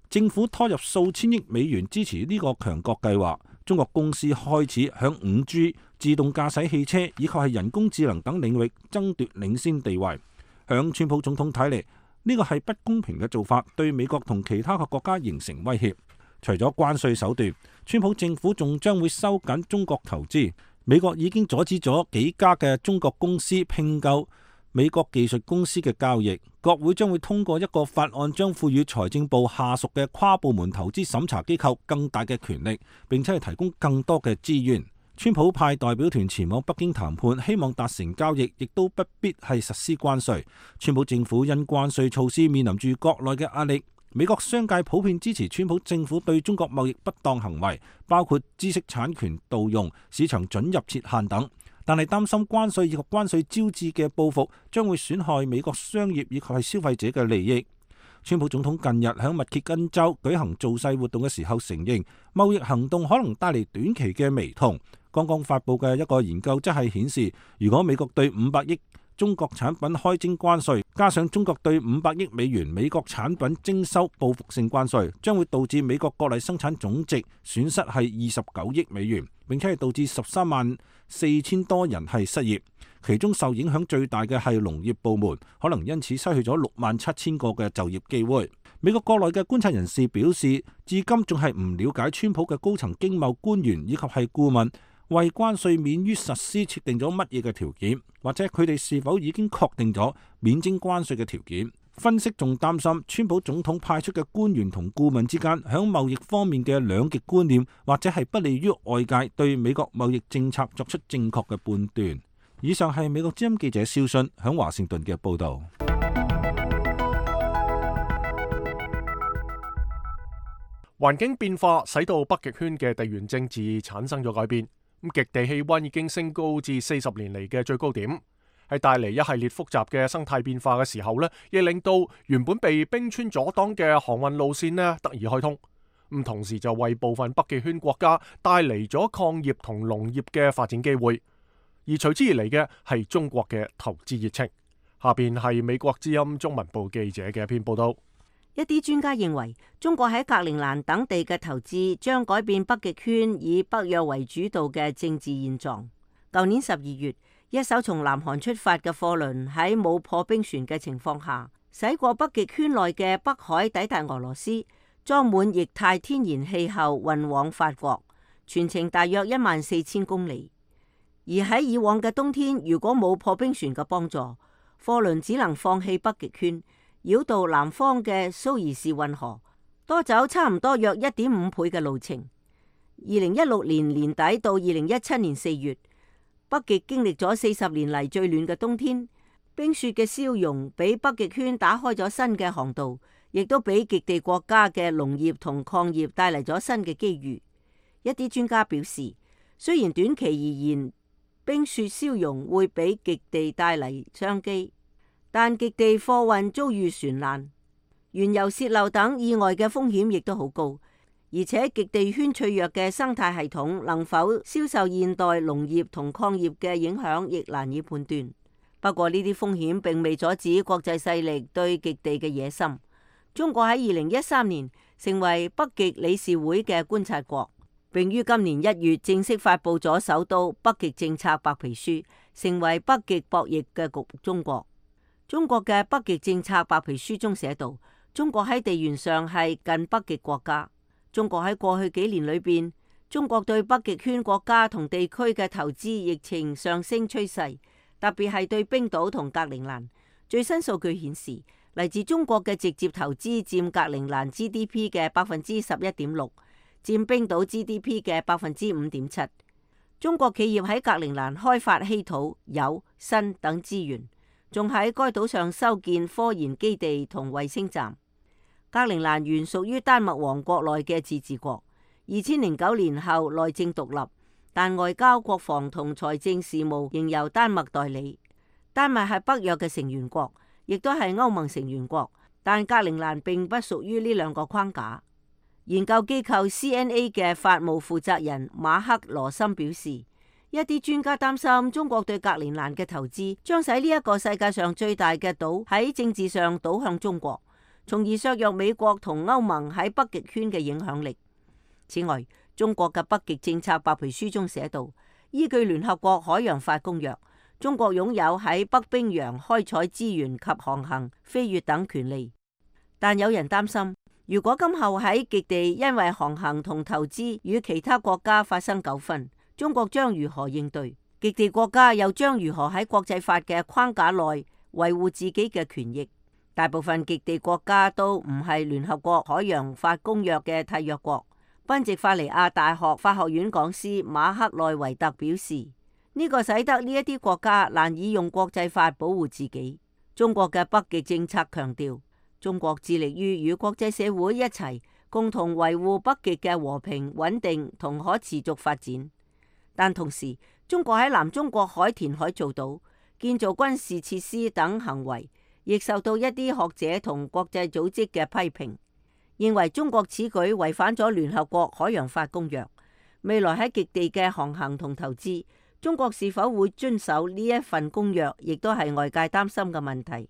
政府拖入數千億美元支持呢個強國計劃。中國公司開始響五 G、自動駕駛汽車以及係人工智能等領域爭奪領先地位。響川普總統睇嚟，呢個係不公平嘅做法，對美國同其他嘅國家形成威脅。除咗關稅手段，川普政府仲將會收緊中國投資。美國已經阻止咗幾家嘅中國公司併購美國技術公司嘅交易。國會將會通過一個法案，將賦予財政部下屬嘅跨部門投資審查機構更大嘅權力，並且係提供更多嘅資源。川普派代表團前往北京談判，希望達成交易，亦都不必係實施關稅。川普政府因關稅措施面臨住國內嘅壓力。美國商界普遍支持川普政府對中國貿易不當行為，包括知識產權盜用、市場准入設限等，但係擔心關稅以及關稅招致嘅報復將會損害美國商業以及係消費者嘅利益。川普總統近日喺密歇根州舉行造勢活動嘅時候承認，貿易行動可能帶嚟短期嘅微痛。剛剛發佈嘅一個研究則係顯示，如果美國對五百億中國產品開徵關稅，加上中國對五百億美元美國產品徵收報復性關稅，將會導致美國國內生產總值損失係二十九億美元，並且係導致十三萬四千多人係失業，其中受影響最大嘅係農業部門，可能因此失去咗六萬七千個嘅就業機會。美國國內嘅觀察人士表示，至今仲係唔了解川普嘅高層經貿官員以及係顧問為關稅免於實施設定咗乜嘢嘅條件，或者佢哋是否已經確定咗免徵關稅嘅條件。分析仲擔心，川普總統派出嘅官員同顧問之間響貿易方面嘅兩極觀念，或者係不利於外界對美國貿易政策作出正確嘅判斷。以上係美國之音記者蕭信響華盛頓嘅報導。環境變化使到北極圈嘅地緣政治產生咗改變，咁極地氣溫已經升高至四十年嚟嘅最高點，係帶嚟一系列複雜嘅生態變化嘅時候呢，亦令到原本被冰川阻擋嘅航運路線呢得以開通，咁同時就為部分北極圈國家帶嚟咗礦業同農業嘅發展機會，而隨之而嚟嘅係中國嘅投資熱情。下邊係美國之音中文部記者嘅一篇報道。一啲專家認為，中國喺格陵蘭等地嘅投資將改變北極圈以北約為主導嘅政治現狀。舊年十二月，一艘從南韓出發嘅貨輪喺冇破冰船嘅情況下，駛過北極圈內嘅北海，抵達俄羅斯，裝滿液態天然氣後運往法國，全程大約一萬四千公里。而喺以往嘅冬天，如果冇破冰船嘅幫助，貨輪只能放棄北極圈，繞道南方嘅蘇伊士運河，多走差唔多約一點五倍嘅路程。二零一六年年底到二零一七年四月，北極經歷咗四十年嚟最暖嘅冬天，冰雪嘅消融俾北極圈打開咗新嘅航道，亦都俾極地國家嘅農業同礦業帶嚟咗新嘅機遇。一啲專家表示，雖然短期而言，冰雪消融會俾極地帶嚟商機，但極地貨運遭遇船難、原油洩漏等意外嘅風險亦都好高，而且極地圈脆弱嘅生態系統能否消受現代農業同礦業嘅影響，亦難以判斷。不過呢啲風險並未阻止國際勢力對極地嘅野心。中國喺二零一三年成為北極理事會嘅觀察國，並於今年一月正式發布咗首都北極政策白皮書，成為北極博弈嘅局中國。中國嘅北極政策白皮書中寫道，中國喺地緣上係近北極國家。中國喺過去幾年裏邊，中國對北極圈國家同地區嘅投資疫情上升趨勢，特別係對冰島同格陵蘭。最新數據顯示，嚟自中國嘅直接投資佔格陵蘭 G D P 嘅百分之十一點六，佔冰島 G D P 嘅百分之五點七。中國企業喺格陵蘭開發稀土、鈾、砷等資源，仲喺該島上修建科研基地同衛星站。格陵蘭原屬於丹麥王國內嘅自治國，二千零九年後內政獨立，但外交、國防同財政事務仍由丹麥代理。丹麥係北約嘅成員國，亦都係歐盟成員國，但格陵蘭並不屬於呢兩個框架。研究機構 C N A 嘅法務負責人馬克羅森表示，一啲專家擔心中國對格陵蘭嘅投資將使呢一個世界上最大嘅島喺政治上倒向中國，從而削弱美國同歐盟喺北極圈嘅影響力。此外，中國嘅北極政策白皮書中寫道，依據聯合國海洋法公約，中國擁有喺北冰洋開採資源及航行、飛越等權利。但有人擔心，如果今後喺極地因為航行同投資與其他國家發生糾紛，中國將如何應對？極地國家又將如何喺國際法嘅框架內維護自己嘅權益？大部分極地國家都唔係聯合國海洋法公約嘅締約國。賓夕法尼亞大學法學院講師馬克內維特表示，呢個使得呢一啲國家難以用國際法保護自己。中國嘅北極政策強調，中國致力於與國際社會一齊共同維護北極嘅和平、穩定同可持續發展。但同時，中國喺南中國海填海造島、建造軍事設施等行為，亦受到一啲學者同國際組織嘅批評，認為中國此舉違反咗聯合國海洋法公約。未來喺極地嘅航行同投資，中國是否會遵守呢一份公約，亦都係外界擔心嘅問題。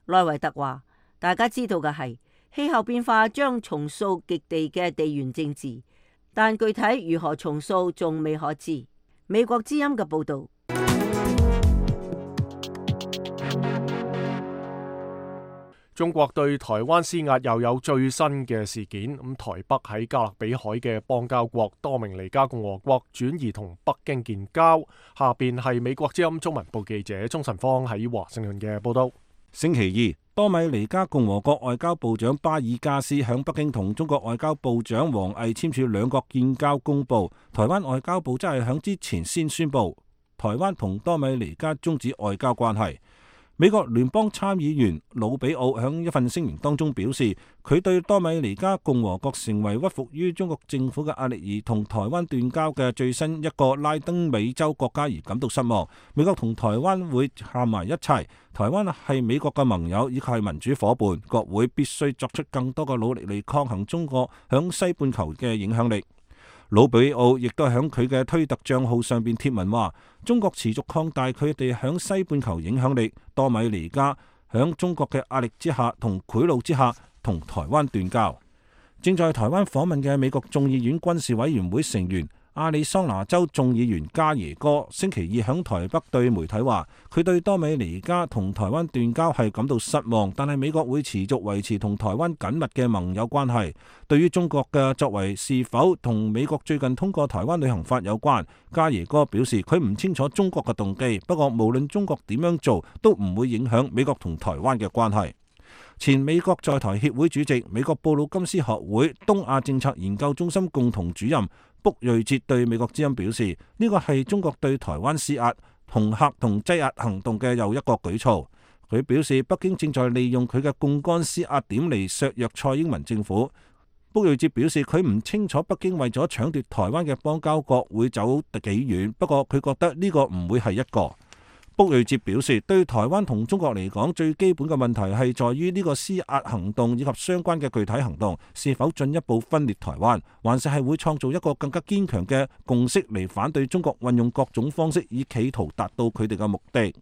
內維特話：大家知道嘅係氣候變化將重塑極地嘅地緣政治，但具體如何重塑仲未可知。美國之音嘅報導。中國對台灣施壓又有最新嘅事件，咁台北喺加勒比海嘅邦交國多明尼加共和國轉移同北京建交。下邊係美國之音中文部記者鍾晨芳喺華盛頓嘅報道。星期二，多米尼加共和國外交部長巴爾加斯響北京同中國外交部長王毅簽署兩國建交公報。台灣外交部則係響之前先宣布，台灣同多米尼加終止外交關係。美國聯邦參議員魯比奧喺一份聲明當中表示，佢對多米尼加共和國成為屈服於中國政府嘅壓力而同台灣斷交嘅最新一個拉丁美洲國家而感到失望。美國同台灣會行埋一齊，台灣係美國嘅盟友，以及係民主夥伴，國會必須作出更多嘅努力嚟抗衡中國響西半球嘅影響力。魯比奧亦都喺佢嘅推特賬號上邊貼文話，中國持續擴大佢哋響西半球影響力，多米尼加響中國嘅壓力之下同賄賂之下同台灣斷交。正在台灣訪問嘅美國眾議院軍事委員會成員亞利桑那州眾議員加耶哥星期二響台北對媒體話，佢對多米尼加同台灣斷交係感到失望，但係美國會持續維持同台灣緊密嘅盟友關係。對於中國嘅作為是否同美國最近通過台灣旅行法有關，加耶哥表示佢唔清楚中國嘅動機，不過無論中國點樣做都唔會影響美國同台灣嘅關係。前美國在台協會主席、美國布魯金斯學會東亞政策研究中心共同主任卜瑞哲對美國之音表示，呢個係中國對台灣施壓、恫嚇同擠壓行動嘅又一個舉措。佢表示，北京正在利用佢嘅槓桿施壓點嚟削弱蔡英文政府。卜瑞哲表示，佢唔清楚北京為咗搶奪台灣嘅邦交國會走幾遠，不過佢覺得呢個唔會係一個。卜瑞哲表示，對台灣同中國嚟講，最基本嘅問題係在於呢個施壓行動以及相關嘅具體行動是否進一步分裂台灣，還是係會創造一個更加堅強嘅共識嚟反對中國運用各種方式以企圖達到佢哋嘅目的。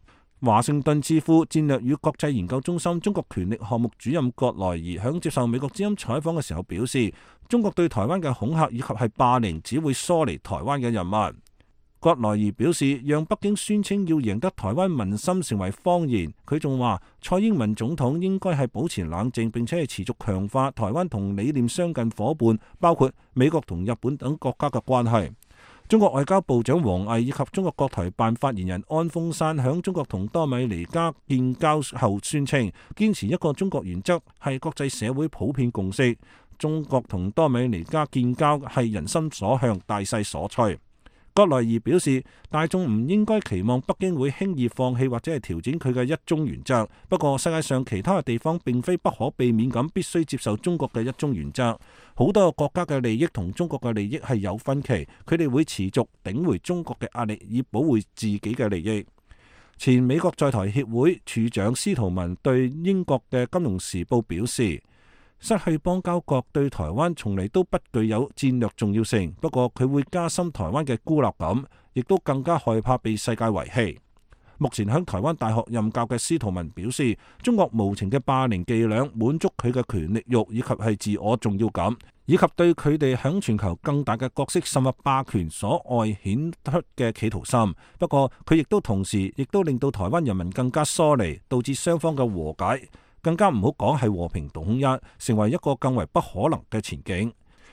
華盛頓智庫戰略與國際研究中心中國權力項目主任葛萊儀響接受美國之音採訪嘅時候表示，中國對台灣嘅恐嚇以及係霸凌只會疏離台灣嘅人民。葛萊儀表示，讓北京宣稱要贏得台灣民心成為謊言。佢仲話，蔡英文總統應該係保持冷靜，並且係持續強化台灣同理念相近夥伴，包括美國同日本等國家嘅關係。中國外交部長王毅以及中國國台辦發言人安峰山響中國同多米尼加建交後宣稱，堅持一個中國原則係國際社會普遍共識。中國同多米尼加建交係人心所向、大勢所趨。葛萊儀表示，大眾唔應該期望北京會輕易放棄或者係調整佢嘅一中原則。不過世界上其他嘅地方並非不可避免咁必須接受中國嘅一中原則。好多個國家嘅利益同中國嘅利益係有分歧，佢哋會持續頂回中國嘅壓力以保護自己嘅利益。前美國在台協會處長司徒文對英國嘅《金融時報》表示，失去邦交國對台灣從嚟都不具有戰略重要性，不過佢會加深台灣嘅孤立感，亦都更加害怕被世界遺棄。目前喺台灣大學任教嘅司徒文表示，中國無情嘅霸凌伎倆滿足佢嘅權力慾以及係自我重要感，以及對佢哋喺全球更大嘅角色甚或霸權所外顯出嘅企圖心。不過佢亦都同時亦都令到台灣人民更加疏離，導致雙方嘅和解更加唔好講係和平統一，成為一個更為不可能嘅前景。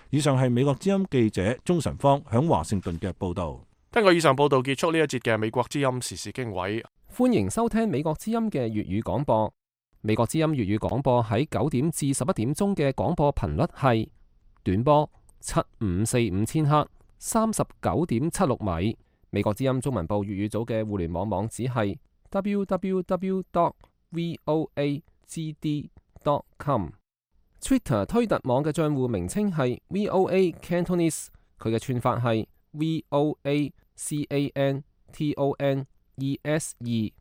以上係美國之音記者鍾晨芳響華盛頓嘅報道。根據以上報道結束呢一節嘅美國之音時事經緯。歡迎收聽美國之音嘅粵語廣播。美國之音粵語廣播喺九點至十一點鐘嘅廣播頻率係短波七五四五千赫，三十九點七六米。美國之音中文部粵語組嘅互聯網網址係 double-u double-u double-u dot voa g d dot com。Twitter 推特網嘅賬戶名稱係 V O A Cantonese， 佢嘅串法係 V O A C A N T O N E S E。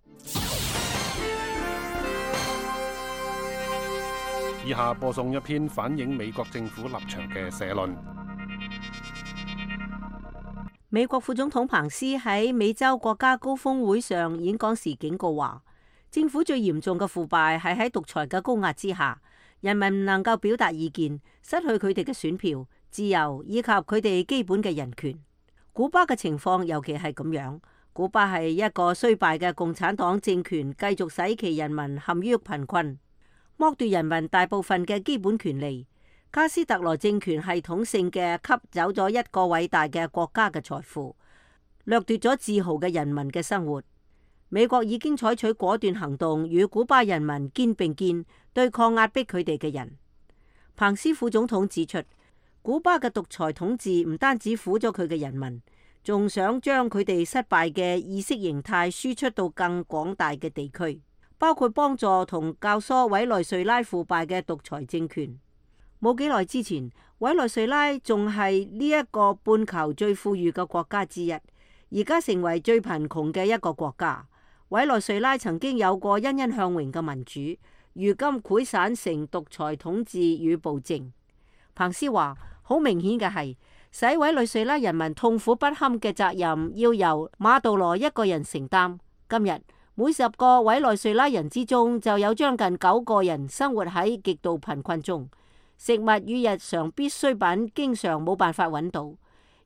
以下播送一篇反映美國政府立場嘅社論。美國副總統彭斯喺美洲國家高峰會上演講時警告話，政府最嚴重嘅腐敗係喺獨裁嘅高壓之下，人民唔能夠表達意見，失去佢哋嘅選票、自由以及佢哋基本嘅人權。古巴嘅情況尤其係咁樣，古巴係一個衰敗嘅共產黨政權，繼續使其人民陷於貧困，剝奪人民大部分嘅基本權利。卡斯特羅政權系統性嘅吸走咗一個偉大嘅國家嘅財富，掠奪咗自豪嘅人民嘅生活。美國已經採取果斷行動，與古巴人民肩並肩，對抗壓迫佢哋嘅人。彭斯副總統指出，古巴嘅獨裁統治唔單止苦咗佢嘅人民，仲想將佢哋失敗嘅意識形態輸出到更廣大嘅地區，包括幫助同教唆委內瑞拉腐敗嘅獨裁政權。冇幾耐之前，委內瑞拉仲係呢一個半球最富裕嘅國家之一，而家成為最貧窮嘅一個國家。委內瑞拉曾經有過欣欣向榮嘅民主，如今潰散成獨裁統治與暴政。彭斯話：好明顯嘅係，使委內瑞拉人民痛苦不堪嘅責任要由馬杜羅一個人承擔。今日每十個委內瑞拉人之中就有將近九個人生活喺極度貧困中。食物與日常必需品經常冇辦法揾到，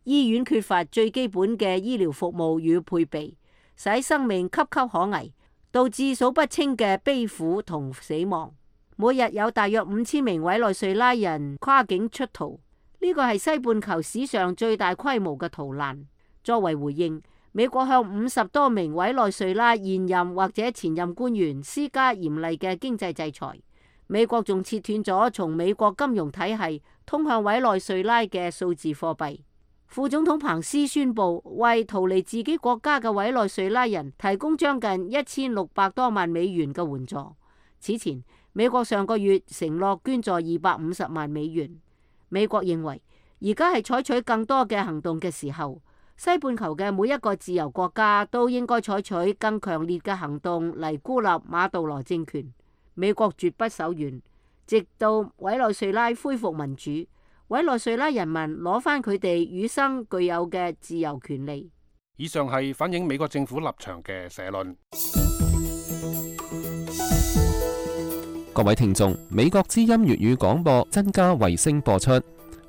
醫院缺乏最基本嘅醫療服務與配備，使生命岌岌可危，導致數不清嘅悲苦同死亡。每日有大約五千名委內瑞拉人跨境出逃，呢個係西半球史上最大規模嘅逃難。作為回應，美國向五十多名委內瑞拉現任或者前任官員施加嚴厲嘅經濟制裁。美國仲切斷咗從美國金融體系通向委內瑞拉嘅數字貨幣。副總統彭斯宣布為逃離自己國家嘅委內瑞拉人提供將近一千六百多萬美元嘅援助。此前，美國上個月承諾捐助二百五十萬美元。美國認為而家係採取更多嘅行動嘅時候，西半球嘅每一個自由國家都應該採取更強烈嘅行動嚟孤立馬杜羅政權。美國絕不手軟，直到委內瑞拉恢復民主，委內瑞拉人民攞返佢哋與生俱有嘅自由權利。以上係反映美國政府立場嘅社論。各位聽眾，美國之音粵語廣播增加衛星播出，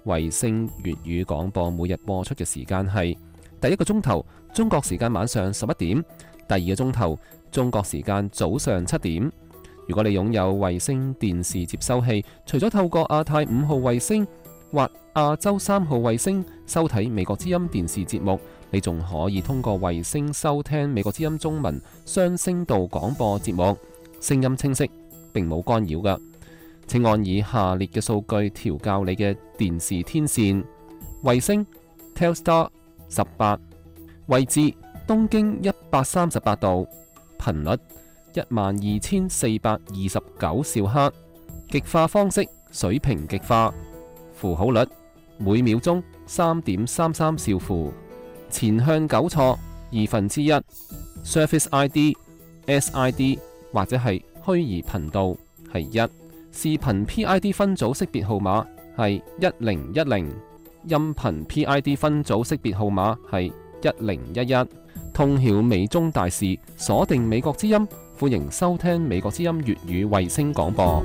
衛星粵語廣播每日播出嘅時間係第一個鐘頭中國時間晚上十一點，第二個鐘頭中國時間早上七點。如果你擁有衛星電視接收器，除咗透過亞太五號衛星或亞洲三號衛星收睇美國之音電視節目，你仲可以通過衛星收聽美國之音中文雙聲道廣播節目，聲音清晰，並冇干擾㗎。請按以下列嘅數據調校你嘅電視天線：衛星 Telstar 十八，位置東經一百三十八度，頻率一萬二千四百二十九兆赫，極化方式水平極化，符號率每秒鐘三點三三兆符，前向糾錯二分之一 ，Service I D S I D 或者係虛擬頻道係一，視頻 P I D 分組識別號碼係一零一零，音頻 P I D 分組識別號碼係一零一一，通曉美中大事，鎖定美國之音。歡迎收聽美國之音粵語衛星廣播。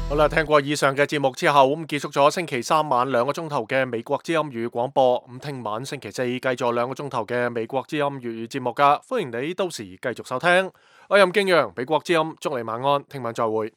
好啦，聽過以上嘅節目之後，咁結束咗星期三晚兩個鐘頭嘅美國之音粵語廣播。咁聽晚星期四繼續兩個鐘頭嘅美國之音粵語節目噶，歡迎你到時繼續收聽。我任敬陽，美國之音，祝你晚安，聽晚再會。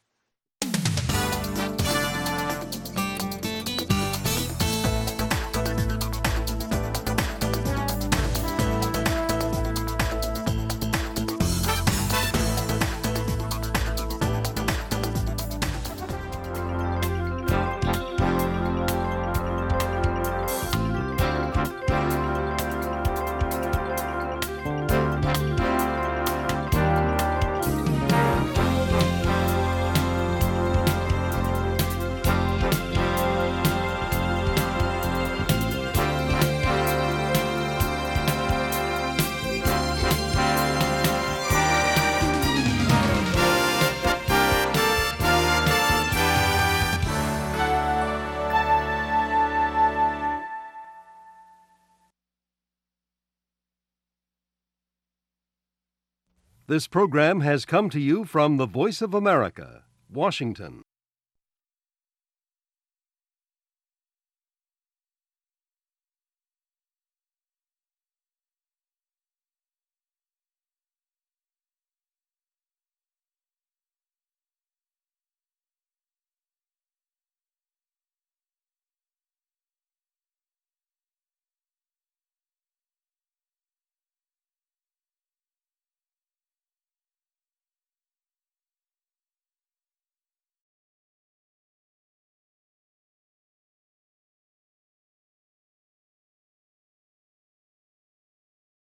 This program has come to you from the Voice of America, Washington.